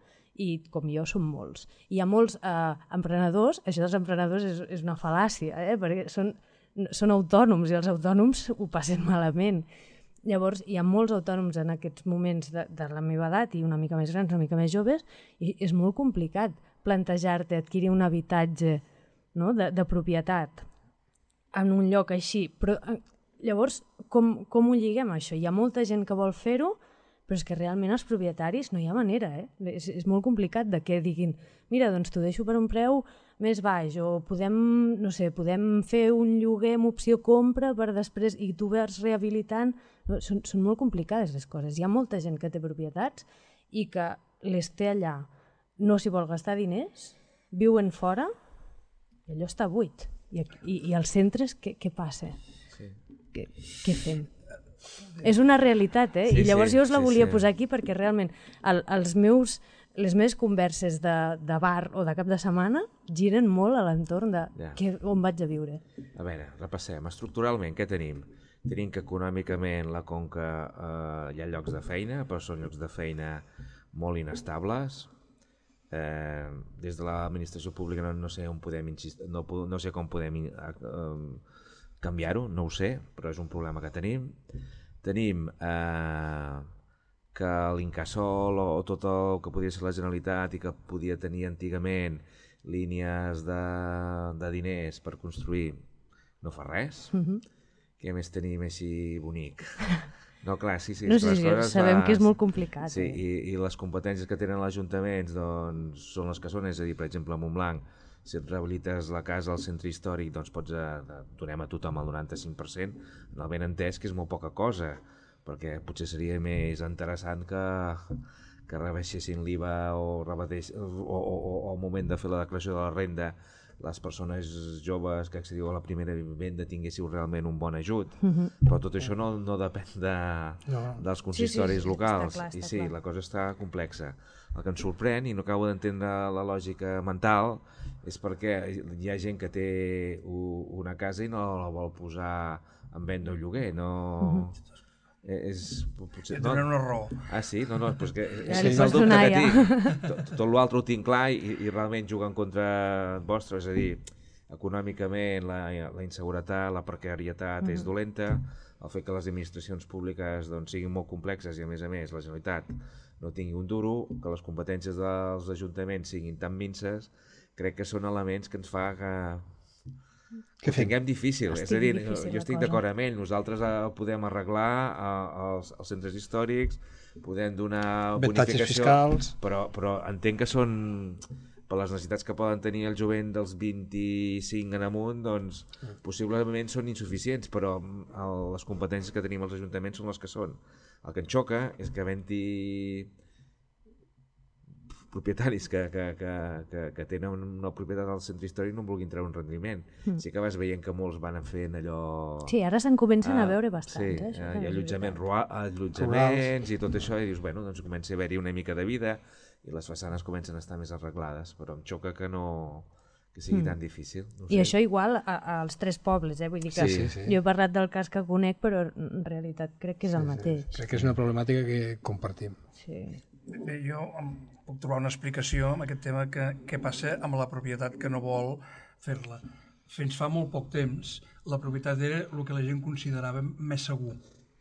I com jo són molts. Hi ha molts eh, emprenedors, això dels emprenedors és, és una fal·làcia, eh? Perquè són, són autònoms i els autònoms ho passen malament. Llavors hi ha molts autònoms en aquests moments de, de la meva edat i una mica més grans, una mica més joves, i és molt complicat plantejar-te adquirir un habitatge, no?, de, de propietat en un lloc així. Però llavors, com, com ho lliguem això? Hi ha molta gent que vol fer-ho, però és que realment els propietaris no hi ha manera, eh? És, és molt complicat de que diguin, mira, doncs t'ho deixo per un preu més baix, o podem, no sé, podem fer un lloguer amb opció compra per després, i tu vas rehabilitant. No, són, són molt complicades les coses. Hi ha molta gent que té propietats i que les té allà, no s'hi vol gastar diners, viuen fora i allò està buit. I, i, i als centres què, què passa? Sí. Què, què fem? És una realitat, eh? Sí, i llavors sí, jo us la sí, volia sí. posar aquí perquè realment el, els meus, les meves converses de, de bar o de cap de setmana giren molt a l'entorn de ja. que, on vaig a viure. A veure, repassem. Estructuralment, què tenim? Tenim que econòmicament la Conca eh, hi ha llocs de feina, però són llocs de feina molt inestables. Eh, des de l'administració pública no, no sé on podem insistir, no, no sé com podem eh, canviar-ho, no ho sé, però és un problema que tenim. Tenim eh, que l'Incasòl o tot el que podia ser la Generalitat i que podia tenir antigament línies de, de diners per construir no fa res. Mm-hmm. Què més tenim així bonic? No, clar, sí, sí. No, sí, sí, sabem les... que és molt complicat. Sí, eh? i, i les competències que tenen els ajuntaments doncs, són les que són, és a dir, per exemple, a Montblanc, si et rehabilites la casa al centre històric, doncs pots a, donem a tothom el noranta-cinc per cent, en el ben entès que és molt poca cosa, perquè potser seria més interessant que, que rebaixessin l'I V A o, o, o, o al moment de fer la declaració de la renda les persones joves que accediu a la primera vivenda tinguéssiu realment un bon ajut, mm-hmm. però tot això no, no depèn de, no. dels consistoris sí, sí, sí, locals, clar, i sí, clar. La cosa està complexa. El que ens sorprèn, i no acabo d'entendre la lògica mental, és perquè hi ha gent que té una casa i no la vol posar en venda o lloguer, no... Mm-hmm. És, potser, no? Tenen una raó. Ah, sí? No, no, pues que és, és el dubte que tinc. Tot, tot l'altre ho tinc clar i, i realment juguen contra vostre, és a dir, econòmicament la, la inseguretat, la precarietat mm-hmm. és dolenta, el fet que les administracions públiques doncs, siguin molt complexes i a més a més la Generalitat no tingui un duro, que les competències dels ajuntaments siguin tan minces, crec que són elements que ens fa que... que ho tinguem difícil, Estic és a dir, difícil, jo estic d'acord amb ell, nosaltres eh, podem arreglar eh, els, els centres històrics, podem donar bonificació, fiscals. Però, però entenc que són, per les necessitats que poden tenir el jovent dels vint-i-cinc en amunt, doncs mm. possiblement són insuficients, però el, les competències que tenim els ajuntaments són les que són. El que em xoca és que havent-hi propietaris que, que, que, que, que tenen una propietat al centre històric no en vulguin treure un rendiment. Mm. Sí que vas veient que molts van fent allò... Sí, ara se'n comencen uh, a veure bastant. Sí, eh, uh, i allotjaments, rua, allotjaments i tot això, i dius, bueno, doncs comença a haver-hi una mica de vida i les façanes comencen a estar més arreglades, però em xoca que no... que sigui mm. tan difícil. No sé. I això igual a, als tres pobles, eh? Vull dir que sí, sí. jo he parlat del cas que conec, però en realitat crec que és el sí, mateix. Sí. Crec que és una problemàtica que compartim. Sí. Bé, jo puc trobar una explicació amb aquest tema que què passa amb la propietat que no vol fer-la. Fins fa molt poc temps la propietat era el que la gent considerava més segur.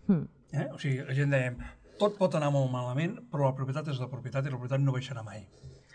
Mm. Eh? O sigui, la gent dèiem, tot pot anar molt malament, però la propietat és la propietat i la propietat no baixarà mai.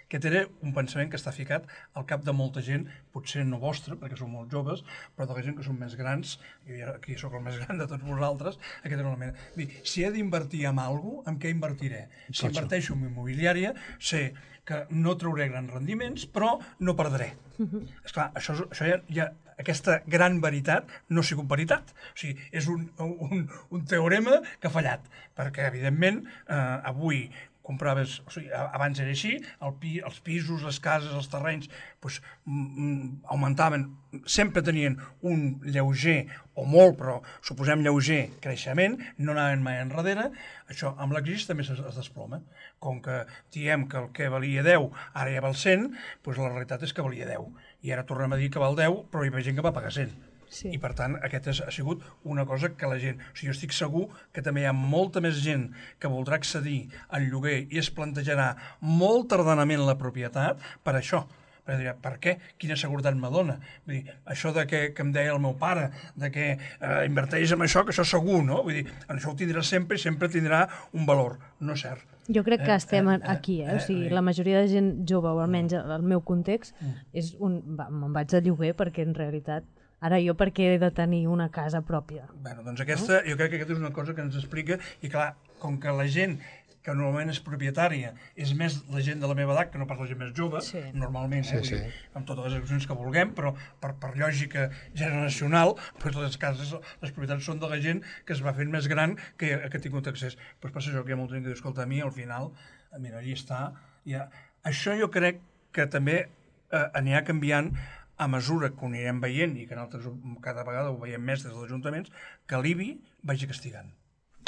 Aquest era un pensament que està ficat al cap de molta gent, potser no vostra, perquè som molt joves, però de la gent que són més grans, jo ja aquí sóc el més gran de tots vosaltres, aquest era una mena. Dir, si he d'invertir en alguna cosa, en què invertiré? Si inverteixo en immobiliària, sé que no trauré grans rendiments, però no perdré. Uh-huh. Esclar, això, això ja, ja, aquesta gran veritat no ha sigut veritat. O sigui, és un, un, un teorema que ha fallat, perquè, evidentment, eh, avui compraves, o sigui, abans era així, el pi, els pisos, les cases, els terrenys, doncs, mm, augmentaven, sempre tenien un lleuger, o molt, però suposem lleuger creixement, no anaven mai enrere, això amb l'exist també es, es desploma. Com que diem que el que valia deu ara ja val cent, doncs la realitat és que valia deu. I ara tornem a dir que val deu, però hi ha gent que va pagar cent. Sí. I per tant aquest ha sigut una cosa que la gent, o sigui, jo estic segur que també hi ha molta més gent que voldrà accedir al lloguer i es plantejarà molt tardanament la propietat per això, perquè dirà, per què? Quina seguretat me dona? Vull dir, això de que, que em deia el meu pare, de que eh, inverteix en això, que això és segur, no? Vull dir, això ho tindrà sempre i sempre tindrà un valor, no és cert. Jo crec que eh, estem eh, aquí, eh? O sigui, la majoria de gent jove, o almenys el meu context, és un... me'n vaig de lloguer perquè en realitat ara jo per què he de tenir una casa pròpia? Bueno, doncs aquesta, jo crec que aquesta és una cosa que ens explica, i clar, com que la gent que normalment és propietària és més la gent de la meva edat que no pas la gent més jove, sí. Normalment, eh, sí, sí. Amb totes les excepcions que vulguem, però per, per lògica generacional, doncs les cases, les propietats són de la gent que es va fent més gran que, que ha tingut accés. Doncs passa això, que hi ha molta gent que diu, escolta, a mi al final, mira, allà està. Ja. Això jo crec que també eh, anirà canviant a mesura que ho anirem veient, i que nosaltres cada vegada ho veiem més des dels ajuntaments, que l'I B I vagi castigant.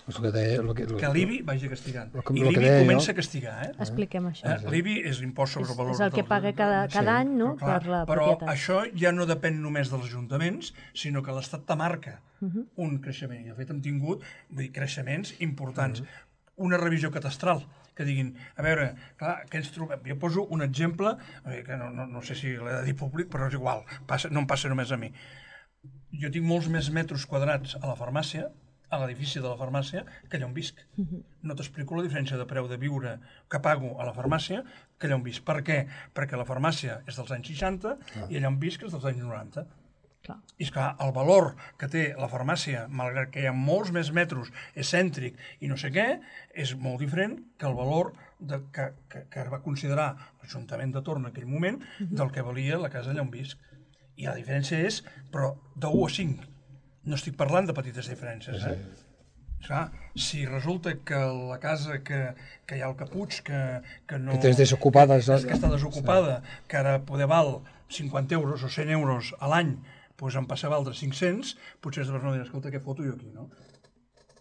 Que, deia, lo que, lo, que l'I B I vagi castigant. Lo, I l'I B I comença a castigar. Eh? Expliquem això. Eh, L'I B I és l'impost sobre el valor. És el que paga cada, cada sí. any, no? Però, clar, per la però propietat. això ja no depèn només dels ajuntaments, sinó que l'Estat te marca uh-huh. un creixement. I de fet hem tingut vull dir, creixements importants. Uh-huh. Una revisió catastral, que diguin, a veure, clar, què ens trobem? Jo poso un exemple, que no, no, no sé si l'he de dir públic, però és igual, passa, no em passa només a mi. jo tinc molts més metres quadrats a la farmàcia, a l'edifici de la farmàcia, que allà on visc. No t'explico la diferència de preu de viure que pago a la farmàcia que allà on visc. Per què? Perquè la farmàcia és dels anys seixanta i allà on visc és dels anys noranta. Clar. I és clar, el valor que té la farmàcia, malgrat que hi ha molts més metres, és cèntric i no sé què, és molt diferent que el valor de, que, que, que va considerar l'Ajuntament de Torn en aquell moment del que valia la casa allà on visc. I la diferència és, però, de u a cinc. No estic parlant de petites diferències, eh? Clar, si resulta que la casa que, que hi ha al Capuig, que, que no... Que tens desocupada. Que, que està desocupada, sí. Que ara poder val cinquanta euros o cent euros a l'any, doncs em passa a valdre cinc-cents, potser es no dir, escolta, què foto jo aquí, no?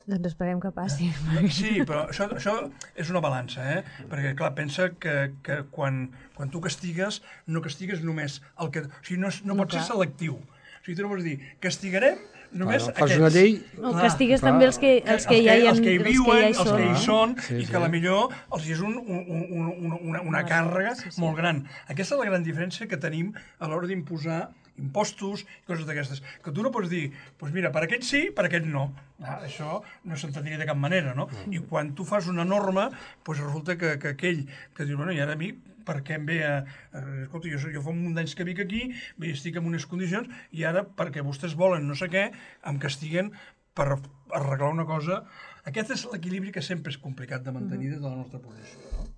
Doncs esperem que passi. Sí, però això, això és una balança, eh? Perquè, clar, pensa que, que quan, quan tu castigues, no castigues només el que... O sigui, no, no, no pot ser selectiu. O sigui, tu no pots dir, castigarem només bueno, aquests. Fas una llei... No, castigues clar, també els que, els que, ja hi ha, els que hi viuen, els que hi són, sí, i que sí. a la millor els hi és un, un, un, un, una, una càrrega sí, sí. molt gran. Aquesta és la gran diferència que tenim a l'hora d'imposar impostos i coses d'aquestes. Que tu no pots dir, doncs mira, per aquest sí, per aquest no. Ah, això no s'entendria de cap manera, no? Mm. I quan tu fas una norma, doncs resulta que, que aquell que diu, bueno, i ara a mi, per què em ve a... a escolta, jo, jo fa un munt d'anys que vic aquí, bé, estic en unes condicions, i ara, perquè vostès volen no sé què, em castiguen per arreglar una cosa. Aquest és l'equilibri que sempre és complicat de mantenir des de la nostra posició. No?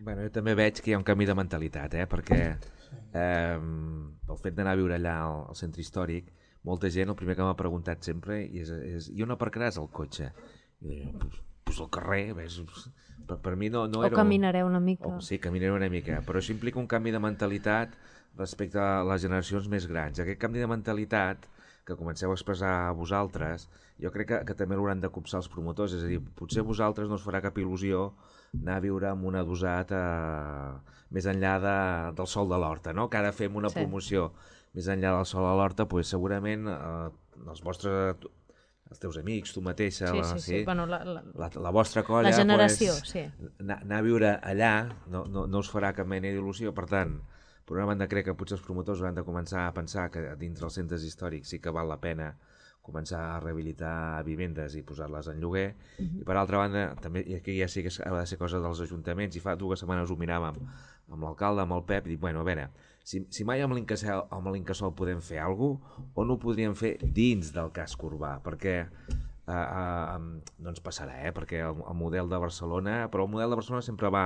Bueno, jo també veig que hi ha un canvi de mentalitat, eh? Perquè eh, el fet d'anar a viure allà al, al centre històric, molta gent, el primer que m'ha preguntat sempre és, és i on aparcaràs el cotxe? I jo, pues, pues al carrer, ves, per, per mi no, no o era... O caminareu una mica. O, sí, caminareu una mica, però això implica un canvi de mentalitat respecte a les generacions més grans. Aquest canvi de mentalitat que comenceu a expressar a vosaltres, jo crec que, que també l'hauran de copsar els promotors, és a dir, potser a vosaltres no us farà cap il·lusió anar a viure amb un adossat eh, més enllà de, del Sol de l'Horta, no? Que ara fem una sí. promoció més enllà del Sol de l'Horta, pues, segurament eh, els vostres, els teus amics, tu mateixa, sí, la, sí, sí. sí, Bueno, la, la, la, la vostra colla, la generació, pues, sí. anar, anar a viure allà no, no, no us farà cap mena d'il·lusió, per tant, per una banda crec que potser els promotors hauran de començar a pensar que dintre els centres històrics sí que val la pena començar a rehabilitar vivendes i posar-les en lloguer, uh-huh. i per altra banda, també, i aquí ja sí que ha de ser cosa dels ajuntaments, i fa dues setmanes ho miràvem amb l'alcalde, amb el Pep, i dic, bueno, a veure, si, si mai amb l'Incasòl podem fer alguna cosa, o no ho podríem fer dins del casc urbà, perquè eh, eh, no ens passarà, eh? Perquè el, el model de Barcelona, però el model de Barcelona sempre va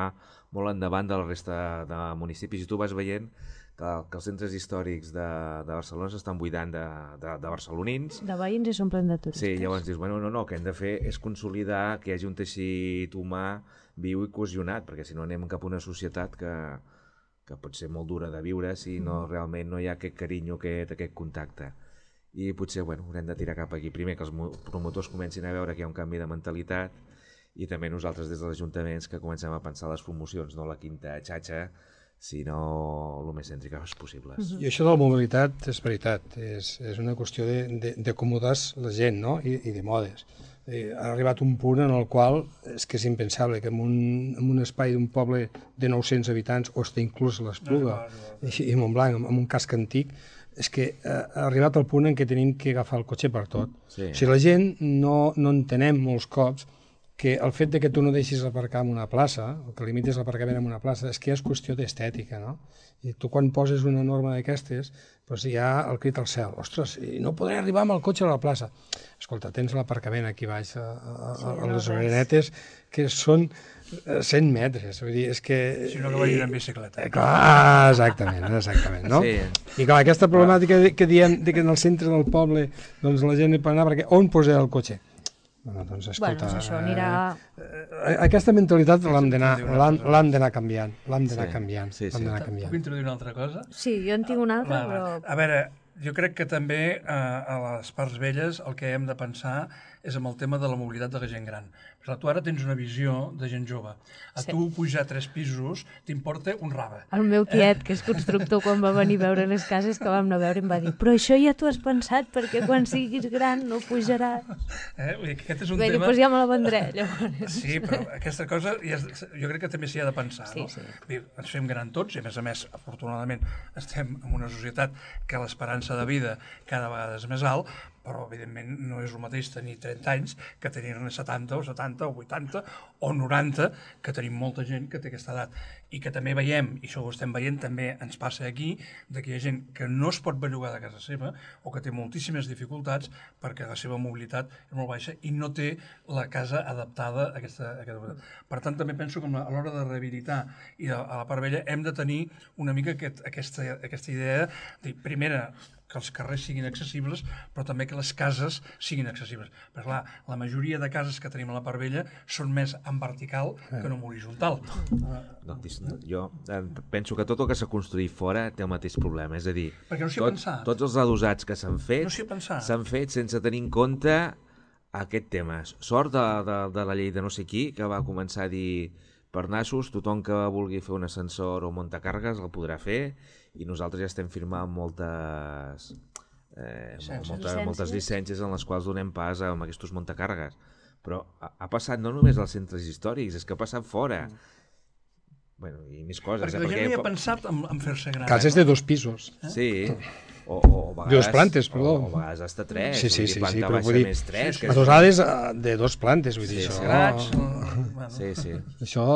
molt endavant de la resta de municipis, i tu vas veient que, que els centres històrics de, de Barcelona s'estan buidant de, de, de barcelonins. De veïns i s'omplen de turistes. Sí, llavors dius, bueno, no, no, el que hem de fer és consolidar que hi hagi un teixit humà viu i cohesionat, perquè si no anem cap a una societat que, que pot ser molt dura de viure si no, realment no hi ha aquest carinyo, aquest, aquest contacte. I potser, bueno, haurem de tirar cap aquí. Primer que els promotors comencin a veure que hi ha un canvi de mentalitat, i també nosaltres des dels ajuntaments que comencem a pensar les promocions, no la quinta xatxa, sinó el més cèntriques possibles. Uh-huh. I això de la mobilitat és veritat, és, és una qüestió d'acomodar la gent, no? I, i de modes. Eh, ha arribat un punt en el qual és que és impensable que en un, en un espai d'un poble de nou-cents habitants, o està inclús l'Espluga, no, i, i Montblanc, amb, amb un casc antic, és que ha arribat al punt en què tenim que agafar el cotxe per tot. Sí. O sigui, la gent no, no entenem molts cops que el fet de que tu no deixis aparcar en una plaça, o que limites l'aparcament en una plaça, és que és qüestió d'estètica, no? I tu quan poses una norma d'aquestes, doncs hi ha el crit al cel. Ostres, i no podré arribar amb el cotxe a la plaça. Escolta, tens l'aparcament aquí baix, a, a, a, a les orenetes, que són cent metres. Vull dir, és que... Si no, que vagin en bicicleta. Eh, clar, exactament, exactament, no? Sí. I clar, aquesta problemàtica que diem de que en el centre del poble doncs la gent hi pot anar, perquè on posar el cotxe? Bueno, doncs escolta, bueno, això anirà... eh, aquesta mentalitat l'hem d'anar canviant, l'hem d'anar canviant, sí, sí. l'hem d'anar canviant. Puc introduir una altra cosa? Sí, jo en tinc una altra, va, però... A veure, jo crec que també eh, a les parts velles el que hem de pensar és amb el tema de la mobilitat de la gent gran. Clar, tu ara tens una visió de gent jove. A sí. tu pujar tres pisos t'importa un rave. El meu tiet, que és constructor, quan va venir a veure les cases que vam anar a veure, em va dir però això ja t'ho has pensat perquè quan siguis gran no pujaràs. Eh? Vull dir que aquest és un Bé, tema... doncs ja me la vendré, llavors. Sí, però aquesta cosa ja és... jo crec que també s'hi ha de pensar. Sí, no? sí. Dir, ens fem gran tots i, a més a més, afortunadament, estem en una societat que l'esperança de vida cada vegada és més alt, però evidentment no és el mateix tenir trenta anys que tenir-ne setanta o setanta o vuitanta o noranta, que tenim molta gent que té aquesta edat. I que també veiem, i això ho estem veient, també ens passa aquí, de que hi ha gent que no es pot bellugar de casa seva o que té moltíssimes dificultats perquè la seva mobilitat és molt baixa i no té la casa adaptada a aquesta... A aquesta... Per tant, també penso que a l'hora de rehabilitar i a la part vella hem de tenir una mica aquest, aquesta, aquesta idea de, primera, que els carrers siguin accessibles, però també que les cases siguin accessibles. Perquè, clar, la majoria de cases que tenim a la part vella són més en vertical que no en horitzontal. No, jo penso que tot el que s'ha construït fora té el mateix problema, és a dir, perquè no s'hi ha pensat. Tots els adossats que s'han fet s'han no fet sense tenir en compte aquest tema. Sort de, de, de la llei de no sé qui, que va començar a dir per nassos, tothom que vulgui fer un ascensor o muntacargues el podrà fer, i nosaltres ja estem firmant moltes, eh, moltes, moltes llicències en les quals donem pas amb aquests muntacargues. Però ha, ha passat no només als centres històrics, és que ha passat fora. Bueno, i més coses. Perquè eh? la gent havia pensat en, en fer-se gran. Cases de dos pisos. Eh? Sí, o, o a vegades... Dos plantes, perdó. O, o a vegades hasta tres. Sí, sí, sí, planta sí, però baixa vull dir, més tres. Sí, adossades de dos plantes, vull dir, sí, això... Grats, bueno. Sí, sí. Això...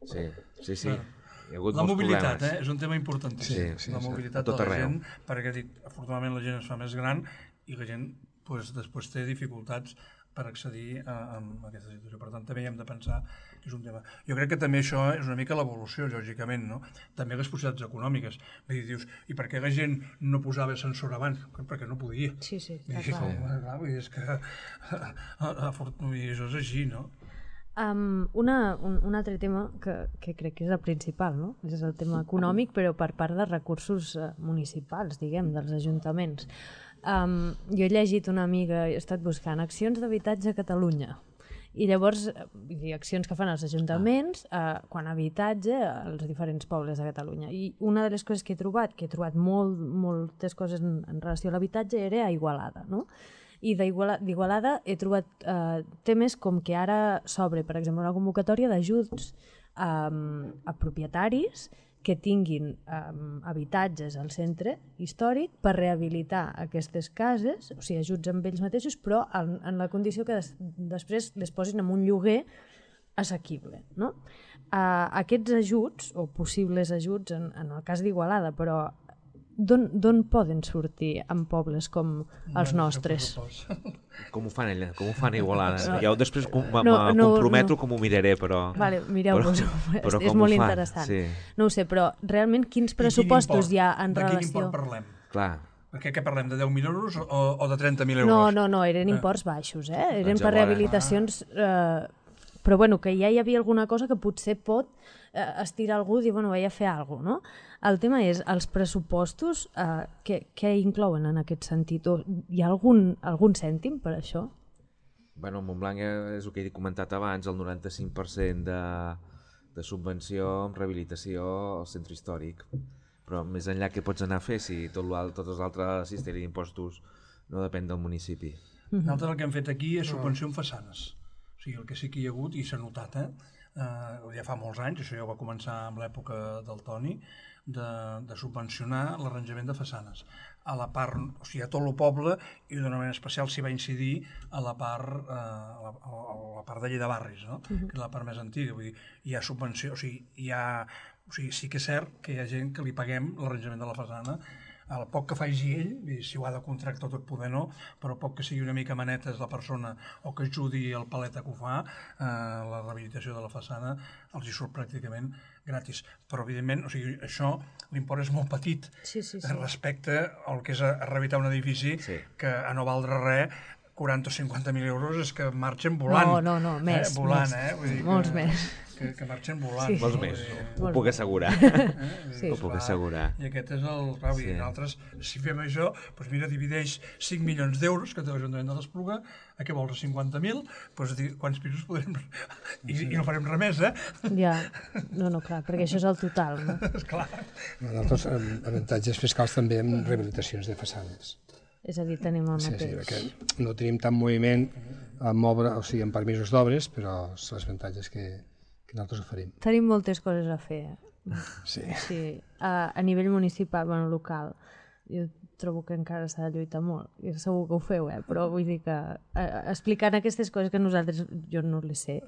Sí, sí, sí. Bueno. Hi ha hagut la molts mobilitat, problemes. eh? És un tema importantíssim. Sí, sí, la mobilitat sí, de la arreu. gent, perquè dit, afortunadament la gent es fa més gran i la gent pues, després té dificultats per accedir a, a aquesta situació. Per tant, també hi hem de pensar que és un tema. Jo crec que també això és una mica l'evolució, lògicament, no? També les possibilitats econòmiques. Vull dir, dius, i per què la gent no posava ascensor abans? Perquè no podia. Sí, sí, clar, clar. clar. clar vull dir, és que vull dir, això és així, no? Um, una, un, un altre tema que, que crec que és el principal, no? És el tema econòmic, però per part de recursos uh, municipals, diguem, dels ajuntaments. Um, jo he llegit una amiga, he estat buscant accions d'habitatge a Catalunya, i llavors, vull dir, accions que fan els ajuntaments uh, quan a habitatge als diferents pobles de Catalunya. I una de les coses que he trobat, que he trobat molt, moltes coses en, en relació a l'habitatge, era a Igualada, no? I d'Igualada he trobat eh, temes com que ara s'obre, per exemple, una convocatòria d'ajuts um, a propietaris que tinguin um, habitatges al centre històric per rehabilitar aquestes cases, o sigui, ajuts amb ells mateixos, però en, en la condició que des, després les posin en un lloguer assequible, no? Uh, aquests ajuts, o possibles ajuts en, en el cas d'Igualada, però d'on poden sortir en pobles com els nostres? Com ho fan ella? Com ho fan a Igualada? No, ja després me no, no, comprometo no. com ho miraré, però... Vale, mireu-vos, és molt interessant. Sí. No ho sé, però realment quins pressupostos hi ha en de relació... De quin import parlem? Clar. Perquè què parlem, de deu mil euros o, o de trenta mil euros? No, no, no, eren imports baixos, eh? Eren per rehabilitacions... Eh, però bueno, que ja hi havia alguna cosa que potser pot eh, estirar algú i dir, bueno, vaig a fer alguna cosa, no? El tema és, els pressupostos, eh, què, què inclouen en aquest sentit? O hi ha algun, algun cèntim per això? Bueno, Montblanc és el que he comentat abans, el noranta-cinc per cent de, de subvenció en rehabilitació al centre històric. Però més enllà què pots anar a fer si tot tots els altres sistemes d'impostos no depèn del municipi? Mm-hmm. Nosaltres el que hem fet aquí és subvenció en façanes. O sigui, el que sí que hi ha hagut, i s'ha notat, eh? Uh, ja fa molts anys, això ja va començar amb l'època del Toni, de, de subvencionar l'arranjament de façanes. A la part, o sigui, a tot el poble, i d'una manera especial s'hi va incidir a la part, uh, a la, a la part de llei de barris, no? Uh-huh. Que és la part més antiga. Vull dir, hi ha subvenció, o sigui, hi ha, o sigui, sí que és cert que hi ha gent que li paguem l'arranjament de la façana, el poc que faci ell, si ho ha de contractar tot poder no, però poc que sigui una mica manetes la persona o que ajudi el paleta que ho fa, eh, la rehabilitació de la façana els hi surt pràcticament gratis. Però evidentment, o sigui, això, l'import és molt petit sí, sí, sí. respecte al que és a, a rehabilitar un edifici sí. que a no valdre res quaranta o cinquanta mil euros és que marxen volant. No, no, no, més. Eh? Volant, més, eh? Vull dir molts que, més. Que, que marxen volant. Sí. Molts no? més, Dir, ho puc assegurar. Eh? Sí. Ho puc assegurar. I aquest és el... Clar, sí. I nosaltres, si fem això, doncs mira, divideix cinc milions d'euros que té l'Ajuntament de l'Espluga, a què vols, cinquanta mil? Doncs quants pisos podrem... I, i no farem res més, eh? Ja, no, no, clar, perquè això és el total, no? Esclar. Nosaltres, avantatges fiscals també amb rehabilitacions de façanes. És a dir, tenim el Sí, sí, mateix. perquè no tenim tant moviment amb obra, o sigui, amb permisos d'obres, però són els avantatges que, que nosaltres oferim. Tenim moltes coses a fer. Sí. Sí, a, a nivell municipal, bueno, local. Jo trobo que encara s'ha de lluitar molt. I segur que ho feu, eh? Però vull dir que eh, explicant aquestes coses que nosaltres, jo no les sé,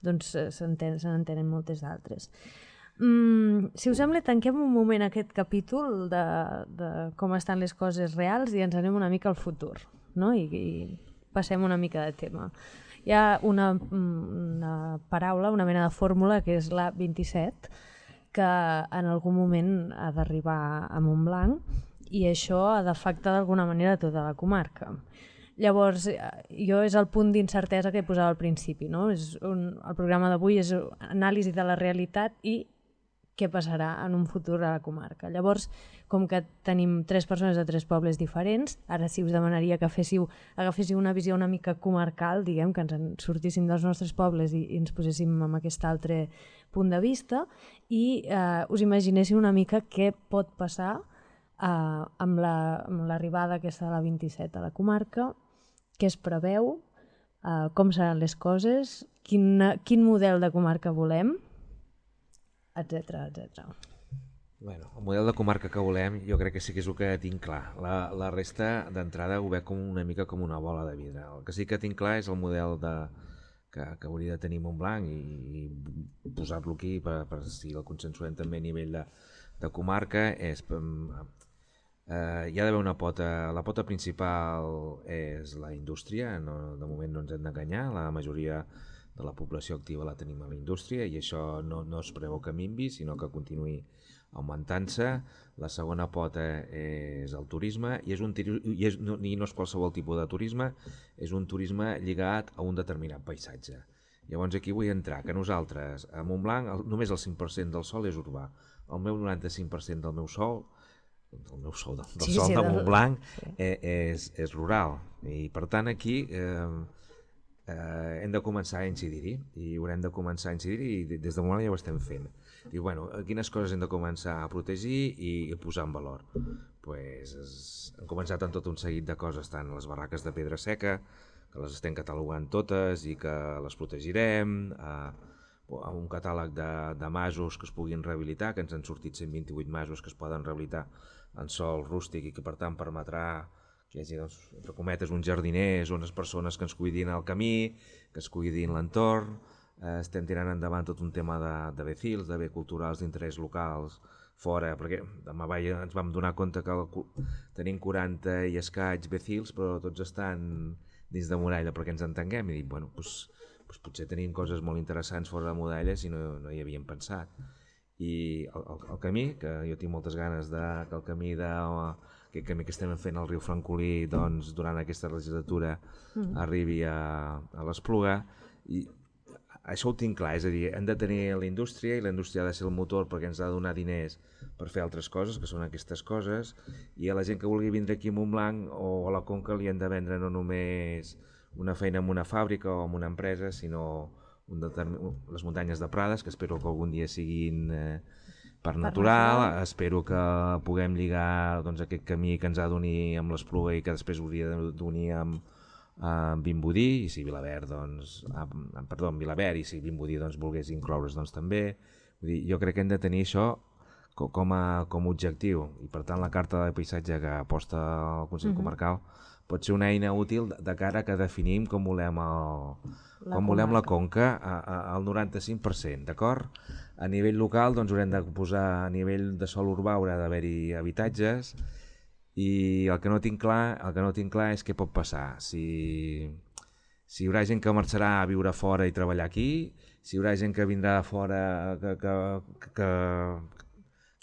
doncs eh, se n'entenen moltes d'altres. Mm, si us sembla, tanquem un moment aquest capítol de, de com estan les coses reals i ens anem una mica al futur, no? I, i passem una mica de tema. Hi ha una, una paraula, una mena de fórmula, que és la vint-i-set, que en algun moment ha d'arribar a Montblanc i això ha d'afectar d'alguna manera tota la comarca. Llavors, jo és el punt d'incertesa que posava al principi, no? És un, el programa d'avui és anàlisi de la realitat i què passarà en un futur a la comarca. Llavors, com que tenim tres persones de tres pobles diferents, ara sí us demanaria que féssiu, agaféssiu una visió una mica comarcal, diguem, que ens en sortíssim dels nostres pobles i, i ens poséssim en aquest altre punt de vista i eh, us imaginéssiu una mica què pot passar eh, amb l'arribada la, aquesta de la vint-i-set a la comarca, què es preveu, eh, com seran les coses, quin, quin model de comarca volem, etcètera, etcètera. Bueno, el model de comarca que volem jo crec que sí que és el que tinc clar. La, la resta d'entrada ho veig com una mica com una bola de vidre. El que sí que tinc clar és el model de, que, que hauria de tenir Montblanc i, i posar-lo aquí per, per si el consensuem també a nivell de, de comarca. És, eh, hi ha d'haver una pota, la pota principal és la indústria, no, de moment no ens hem d'enganyar, la majoria de la població activa la tenim a la indústria i això no, no es preveu que minvi, sinó que continuï augmentant-se. La segona pota és el turisme i, és un, i, és, no, i no és qualsevol tipus de turisme, és un turisme lligat a un determinat paisatge. Llavors aquí vull entrar, que nosaltres a Montblanc el, només el cinc per cent del sòl és urbà, el meu noranta-cinc per cent del meu sòl del meu sòl, del, del sí, sòl sí, de Montblanc sí. eh, és, és rural i per tant aquí eh, eh, hem de començar a incidir-hi i haurem de començar a incidir-hi i des de moment ja ho estem fent. Diu, bueno, quines coses hem de començar a protegir i a posar en valor? Pues, es, hem començat amb tot un seguit de coses, tant les barraques de pedra seca, que les estem catalogant totes i que les protegirem, eh, un catàleg de, de masos que es puguin rehabilitar, que ens han sortit cent vint-i-vuit masos que es poden rehabilitar en sòl rústic i que per tant permetrà que hi hagi, doncs, entre cometes, uns jardiners, unes persones que ens cuidin el camí, que es cuidin l'entorn. Eh, estem tirant endavant tot un tema de, de becils, de bé culturals d'interès locals fora, perquè demà vai ens vam donar compte que el, tenim quaranta i escaig becils, però tots estan dins de muralla, perquè ens entenguem, i dic, bueno, doncs, doncs potser tenim coses molt interessants fora de muralles i no, no hi havíem pensat. I el, el, el camí, que jo tinc moltes ganes de, que el camí de... aquest camí que estem fent al riu Francolí doncs, durant aquesta legislatura mm. arribi a, a l'Espluga i això ho tinc clar, és a dir, hem de tenir la indústria i la indústria ha de ser el motor perquè ens ha de donar diners per fer altres coses, que són aquestes coses, i a la gent que vulgui vindre aquí a Montblanc o a la Conca li han de vendre no només una feina en una fàbrica o en una empresa, sinó un determin... les muntanyes de Prades, que espero que algun dia siguin eh, per natural, espero que puguem lligar doncs, aquest camí que ens ha d'unir amb l'Espluga i que després hauria d'unir amb, amb Vimbodí, i si Vilaverd, doncs, amb, perdó, amb Vilaverd, i si Vimbodí doncs, volgués incloure's doncs, també. Vull dir, jo crec que hem de tenir això com a, com a objectiu, i per tant la carta de paisatge que aposta el Consell uh-huh. Comarcal pot ser una eina útil de cara que definim com volem, el, la, com volem la Conca a, a, al noranta-cinc per cent, d'acord? A nivell local doncs, haurem de posar, a nivell de sòl urbà haurà d'haver-hi habitatges i el que no tinc clar, el que no tinc clar és què pot passar, si, si hi haurà gent que marxarà a viure fora i treballar aquí, si hi haurà gent que vindrà de fora que, que, que,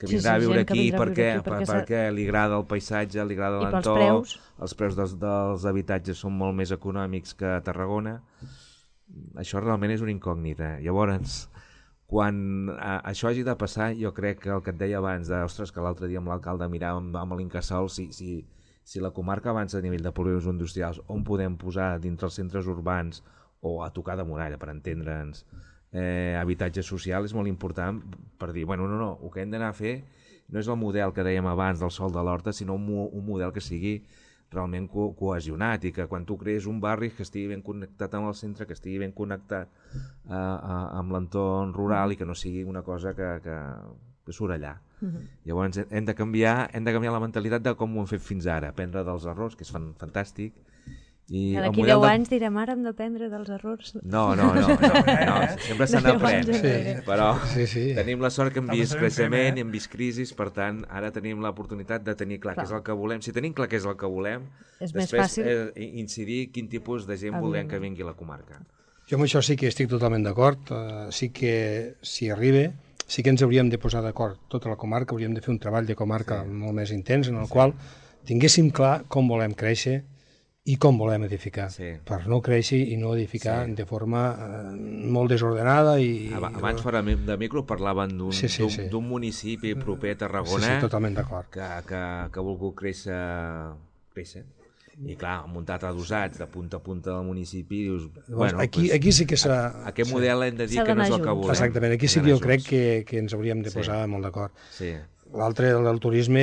que vindrà a viure aquí perquè li agrada el paisatge, li agrada l'entorn, els preus dels habitatges són molt més econòmics que a Tarragona. Això realment és una incògnita. Llavors, quan això hagi de passar, jo crec que el que et deia abans, ostres, que l'altre dia amb l'alcalde miràvem amb l'Incasòl, si, si, si la comarca avança a nivell de polígons industrials, on podem posar dintre els centres urbans o a tocar de muralla, per entendre'ns, eh, habitatge social és molt important per dir, bueno, no, no, el que hem d'anar a fer no és el model que dèiem abans del Sol de l'Horta, sinó un, un model que sigui realment co cohesionat i que quan tu crees un barri que estigui ben connectat amb el centre, que estigui ben connectat eh, amb l'entorn rural i que no sigui una cosa que, que, que surt allà. Uh-huh. Llavors hem de, canviar, hem de canviar la mentalitat de com ho hem fet fins ara, aprendre dels errors, que és fan, fantàstic. I d'aquí deu anys de... direm, ara hem d'aprendre dels errors. No, no, no, no, no. Sempre se n'aprèn, sí. Però sí, sí. Tenim la sort que hem vist creixement i hem vist crisis, per tant, ara tenim l'oportunitat de tenir clar, clar què és el que volem. Si tenim clar què és el que volem, és després eh, incidir quin tipus de gent volem que vingui a la comarca. Jo amb això sí que estic totalment d'acord, uh, sí que si arriba, sí que ens hauríem de posar d'acord tota la comarca, hauríem de fer un treball de comarca sí. molt més intens, en el sí. qual tinguéssim clar com volem créixer i com volem edificar, sí. per no créixer i no edificar sí. de forma eh, molt desordenada. I, Abans fora de micro parlaven d'un sí, sí, sí. municipi proper a Tarragona sí, sí, totalment d'acord. Que, que, que ha volgut créixer, créixer. I clar, muntat adossats de punta a punta del municipi, dius, bueno, aquí, pues, aquí sí que s'ha... Aquest model sí. hem de dir que no és el que volem. Exactament, aquí sí que jo crec que, que ens hauríem de posar sí. molt d'acord. Sí. L'altre, el turisme,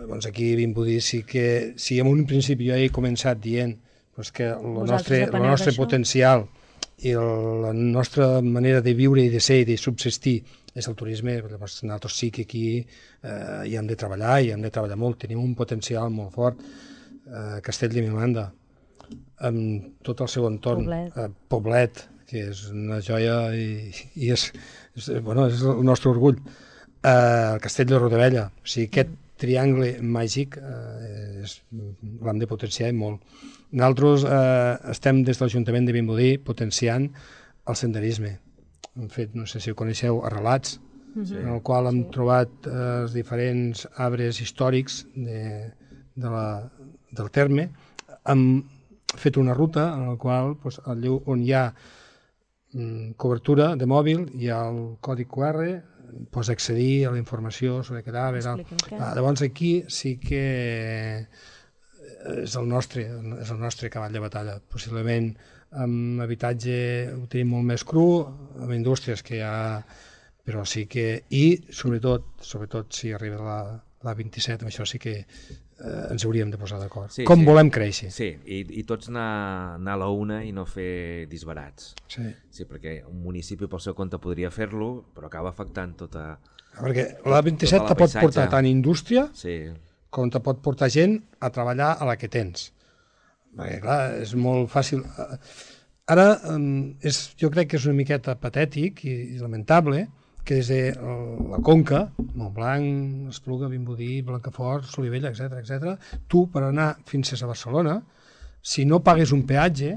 doncs aquí a Vimbodí sí que, si en un principi jo he començat dient doncs que el nostre, el nostre potencial i el, la nostra manera de viure i de ser i de subsistir és el turisme, llavors nosaltres sí que aquí eh, hi hem de treballar, i hem de treballar molt, tenim un potencial molt fort. Eh, Castell de Miranda, amb tot el seu entorn, Poblet, eh, Poblet que és una joia i, i és, és, bueno, és el nostre orgull. Uh, el Castell de Rodavella, o sigui, aquest triangle màgic uh, l'hem de potenciar molt. Nosaltres uh, estem des de l'Ajuntament de Vimbodí potenciant el senderisme. Hem fet, no sé si ho coneixeu, Arrelats, sí. en el qual hem sí. trobat uh, els diferents arbres històrics de, de la, del terme. Hem fet una ruta en la qual, doncs, on hi ha um, cobertura de mòbil, hi ha el codi Q R, pots accedir a la informació sobre cadàver. Ah, llavors aquí sí que és el nostre, és el nostre cavall de batalla. Possiblement amb habitatge ho tenim molt més cru, amb indústries que hi ha... Però sí que... I sobretot, sobretot si arriba la, la vint-i-set, amb això sí que eh, ens hauríem de posar d'acord. Sí, Com sí. volem créixer. Sí, i, i tots anar, anar a la una i no fer disbarats. Sí. Sí, perquè un municipi pel seu compte podria fer-lo, però acaba afectant tota... Perquè la vint-i-set te pot portar tant indústria sí. com te pot portar gent a treballar a la que tens. Perquè, clar, és molt fàcil... Ara, és, jo crec que és una miqueta patètic i, i lamentable que des de la Conca, Montblanc, Espluga, Vimbodí, Blancafort, Solivella, etcètera, etcètera, tu, per anar fins a Barcelona, si no pagues un peatge,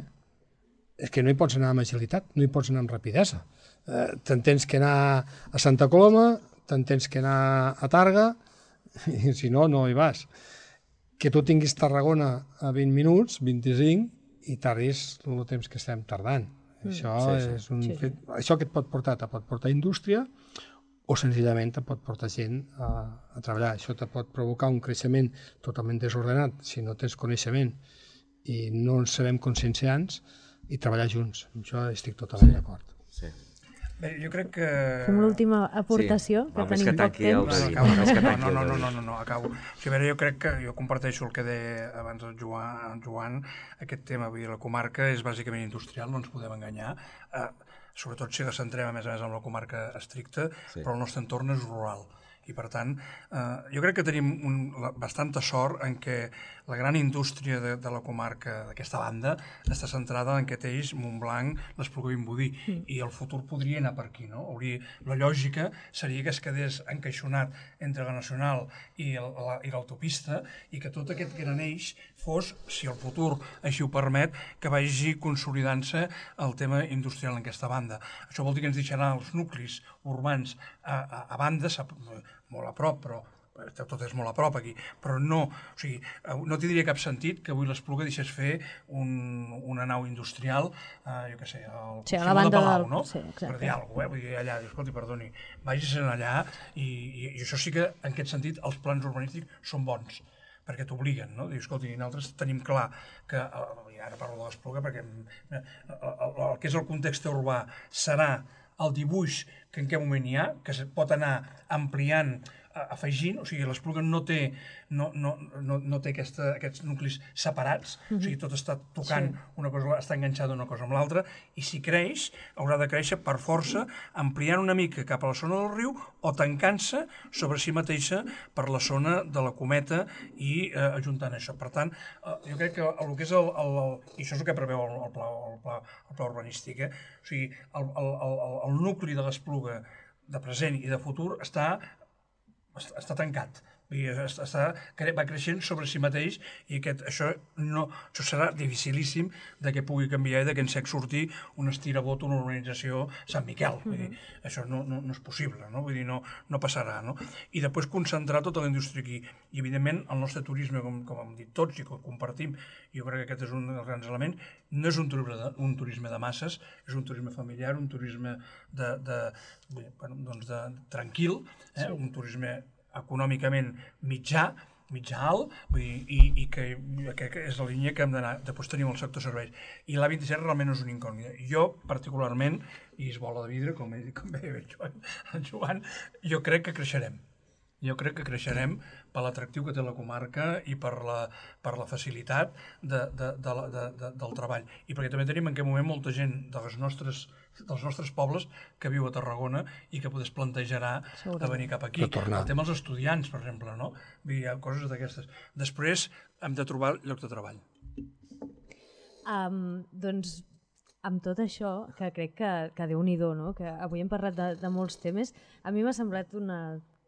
és que no hi pots anar amb agilitat, no hi pots anar amb rapidesa. Eh, te'n tens que anar a Santa Coloma, te'n tens que anar a Targa, i si no, no hi vas. Que tu tinguis Tarragona a vint minuts, vint-i-cinc, i tardis el temps que estem tardant. Mm. Això, sí, sí. És un sí. fet, això que et pot portar, te pot portar indústria o senzillament te pot portar gent a, a treballar. Això te pot provocar un creixement totalment desordenat si no tens coneixement i no ens sabem conscienciants i treballar junts. Amb això estic totalment sí. d'acord. Sí. Bé, jo crec que... Fem l'última aportació, sí. que no, tenim que poc temps. No, no, no, no, no, no, no, no, acabo. O sigui, a veure, jo crec que jo comparteixo el que deia abans el Joan, el Joan aquest tema, vull dir, la comarca és bàsicament industrial, no ens podem enganyar, eh, sobretot si la centrem a més a més en la comarca estricta, sí. però el nostre entorn és rural. I per tant, eh, jo crec que tenim un, la, bastanta sort en què la gran indústria de, de la comarca d'aquesta banda està centrada en Cateix, Montblanc, l'Espluga i Vimbodí, mm. i el futur podria anar per aquí, no? Hauria, la lògica seria que es quedés encaixonat entre la Nacional i l'autopista i que tot aquest gran eix fos, si el futur així ho permet, que vagi consolidant-se el tema industrial en aquesta banda. Això vol dir que ens deixarà els nuclis urbans a, a, a banda, molt a prop, però tot és molt a prop aquí, però no, o sigui, no tindria cap sentit que avui l'Espluga deixés fer un, una nau industrial, eh, jo què sé, al sí, a la banda de Palau, del... no? Sí, per dir alguna cosa, eh? Vull dir, allà, escolti, perdoni, vagis allà, i, i, i això sí que, en aquest sentit, els plans urbanístics són bons, perquè t'obliguen, no? Dius, escolti, nosaltres tenim clar que, i ara parlo de l'Espluga, perquè el, el, el que és el context urbà serà el dibuix que en què moment hi ha, que es pot anar ampliant, afegint, o sigui, l'Espluga no té, no, no, no, no té aquesta, aquests nuclis separats, mm-hmm. o sigui, tot està tocant, sí. una cosa, està enganxada una cosa amb l'altra, i si creix, haurà de créixer per força, ampliant una mica cap a la zona del riu o tancant-se sobre si mateixa per la zona de la Cometa i eh, ajuntant això. Per tant, eh, jo crec que el que és el, el, el i això és el que preveu el, el, pla, el, pla, el pla urbanístic, eh? O sigui, el, el, el, el nucli de l'Espluga de present i de futur està està tancat, està, va creixent sobre si mateix i aquest, això, no, això serà dificilíssim de que pugui canviar i de que en sec sortir un estirabot, una urbanització Sant Miquel. Vull dir, això no, no, no és possible, no? Vull dir, no, no passarà. No? I després concentrar tota la indústria aquí. I evidentment el nostre turisme, com, com hem dit tots i que compartim, jo crec que aquest és un dels grans elements, no és un turisme de, un turisme de masses, és un turisme familiar, un turisme de, de, bueno, doncs de, tranquil, eh? Sí. Un turisme econòmicament mitjà, mitjà alt, vull dir, i, i que, que, que és la línia que hem d'anar. Després tenim el sector serveis. I l'A vint-i-set realment no és una incògnita. Jo, particularment, i és bola de vidre, com, he, com bé el Joan, el Joan, jo crec que creixerem. Jo crec que creixerem per l'atractiu que té la comarca i per la, per la facilitat de, de, de, de, de, del treball. I perquè també tenim en aquest moment molta gent de les nostres, dels nostres pobles que viu a Tarragona i que es plantejarà de venir cap aquí. El tema dels estudiants, per exemple, no? Vull dir, hi ha coses d'aquestes. Després hem de trobar lloc de treball. Um, doncs, amb tot això, que crec que, que Déu-n'hi-do, no? Que avui hem parlat de, de molts temes, a mi m'ha semblat una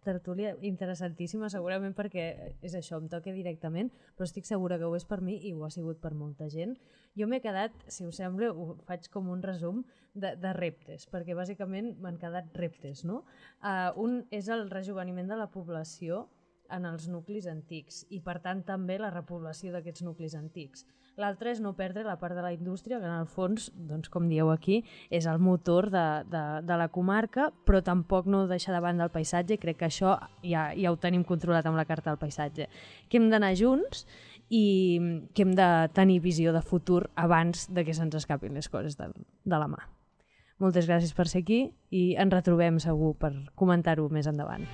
tertúlia interessantíssima, segurament perquè és això, em toca directament, però estic segura que ho és per mi i ho ha sigut per molta gent. Jo m'he quedat, si us sembla, ho faig com un resum de, de reptes, perquè bàsicament m'han quedat reptes, no? Uh, un és el rejoveniment de la població en els nuclis antics i, per tant, també la repoblació d'aquests nuclis antics. L'altre és no perdre la part de la indústria, que en el fons, doncs, com dieu aquí, és el motor de, de, de la comarca, però tampoc no deixar de banda el paisatge, i crec que això ja, ja ho tenim controlat amb la carta del paisatge. Que hem d'anar junts i que hem de tenir visió de futur abans de que se'ns escapin les coses de, de la mà. Moltes gràcies per ser aquí i ens retrobem segur per comentar-ho més endavant.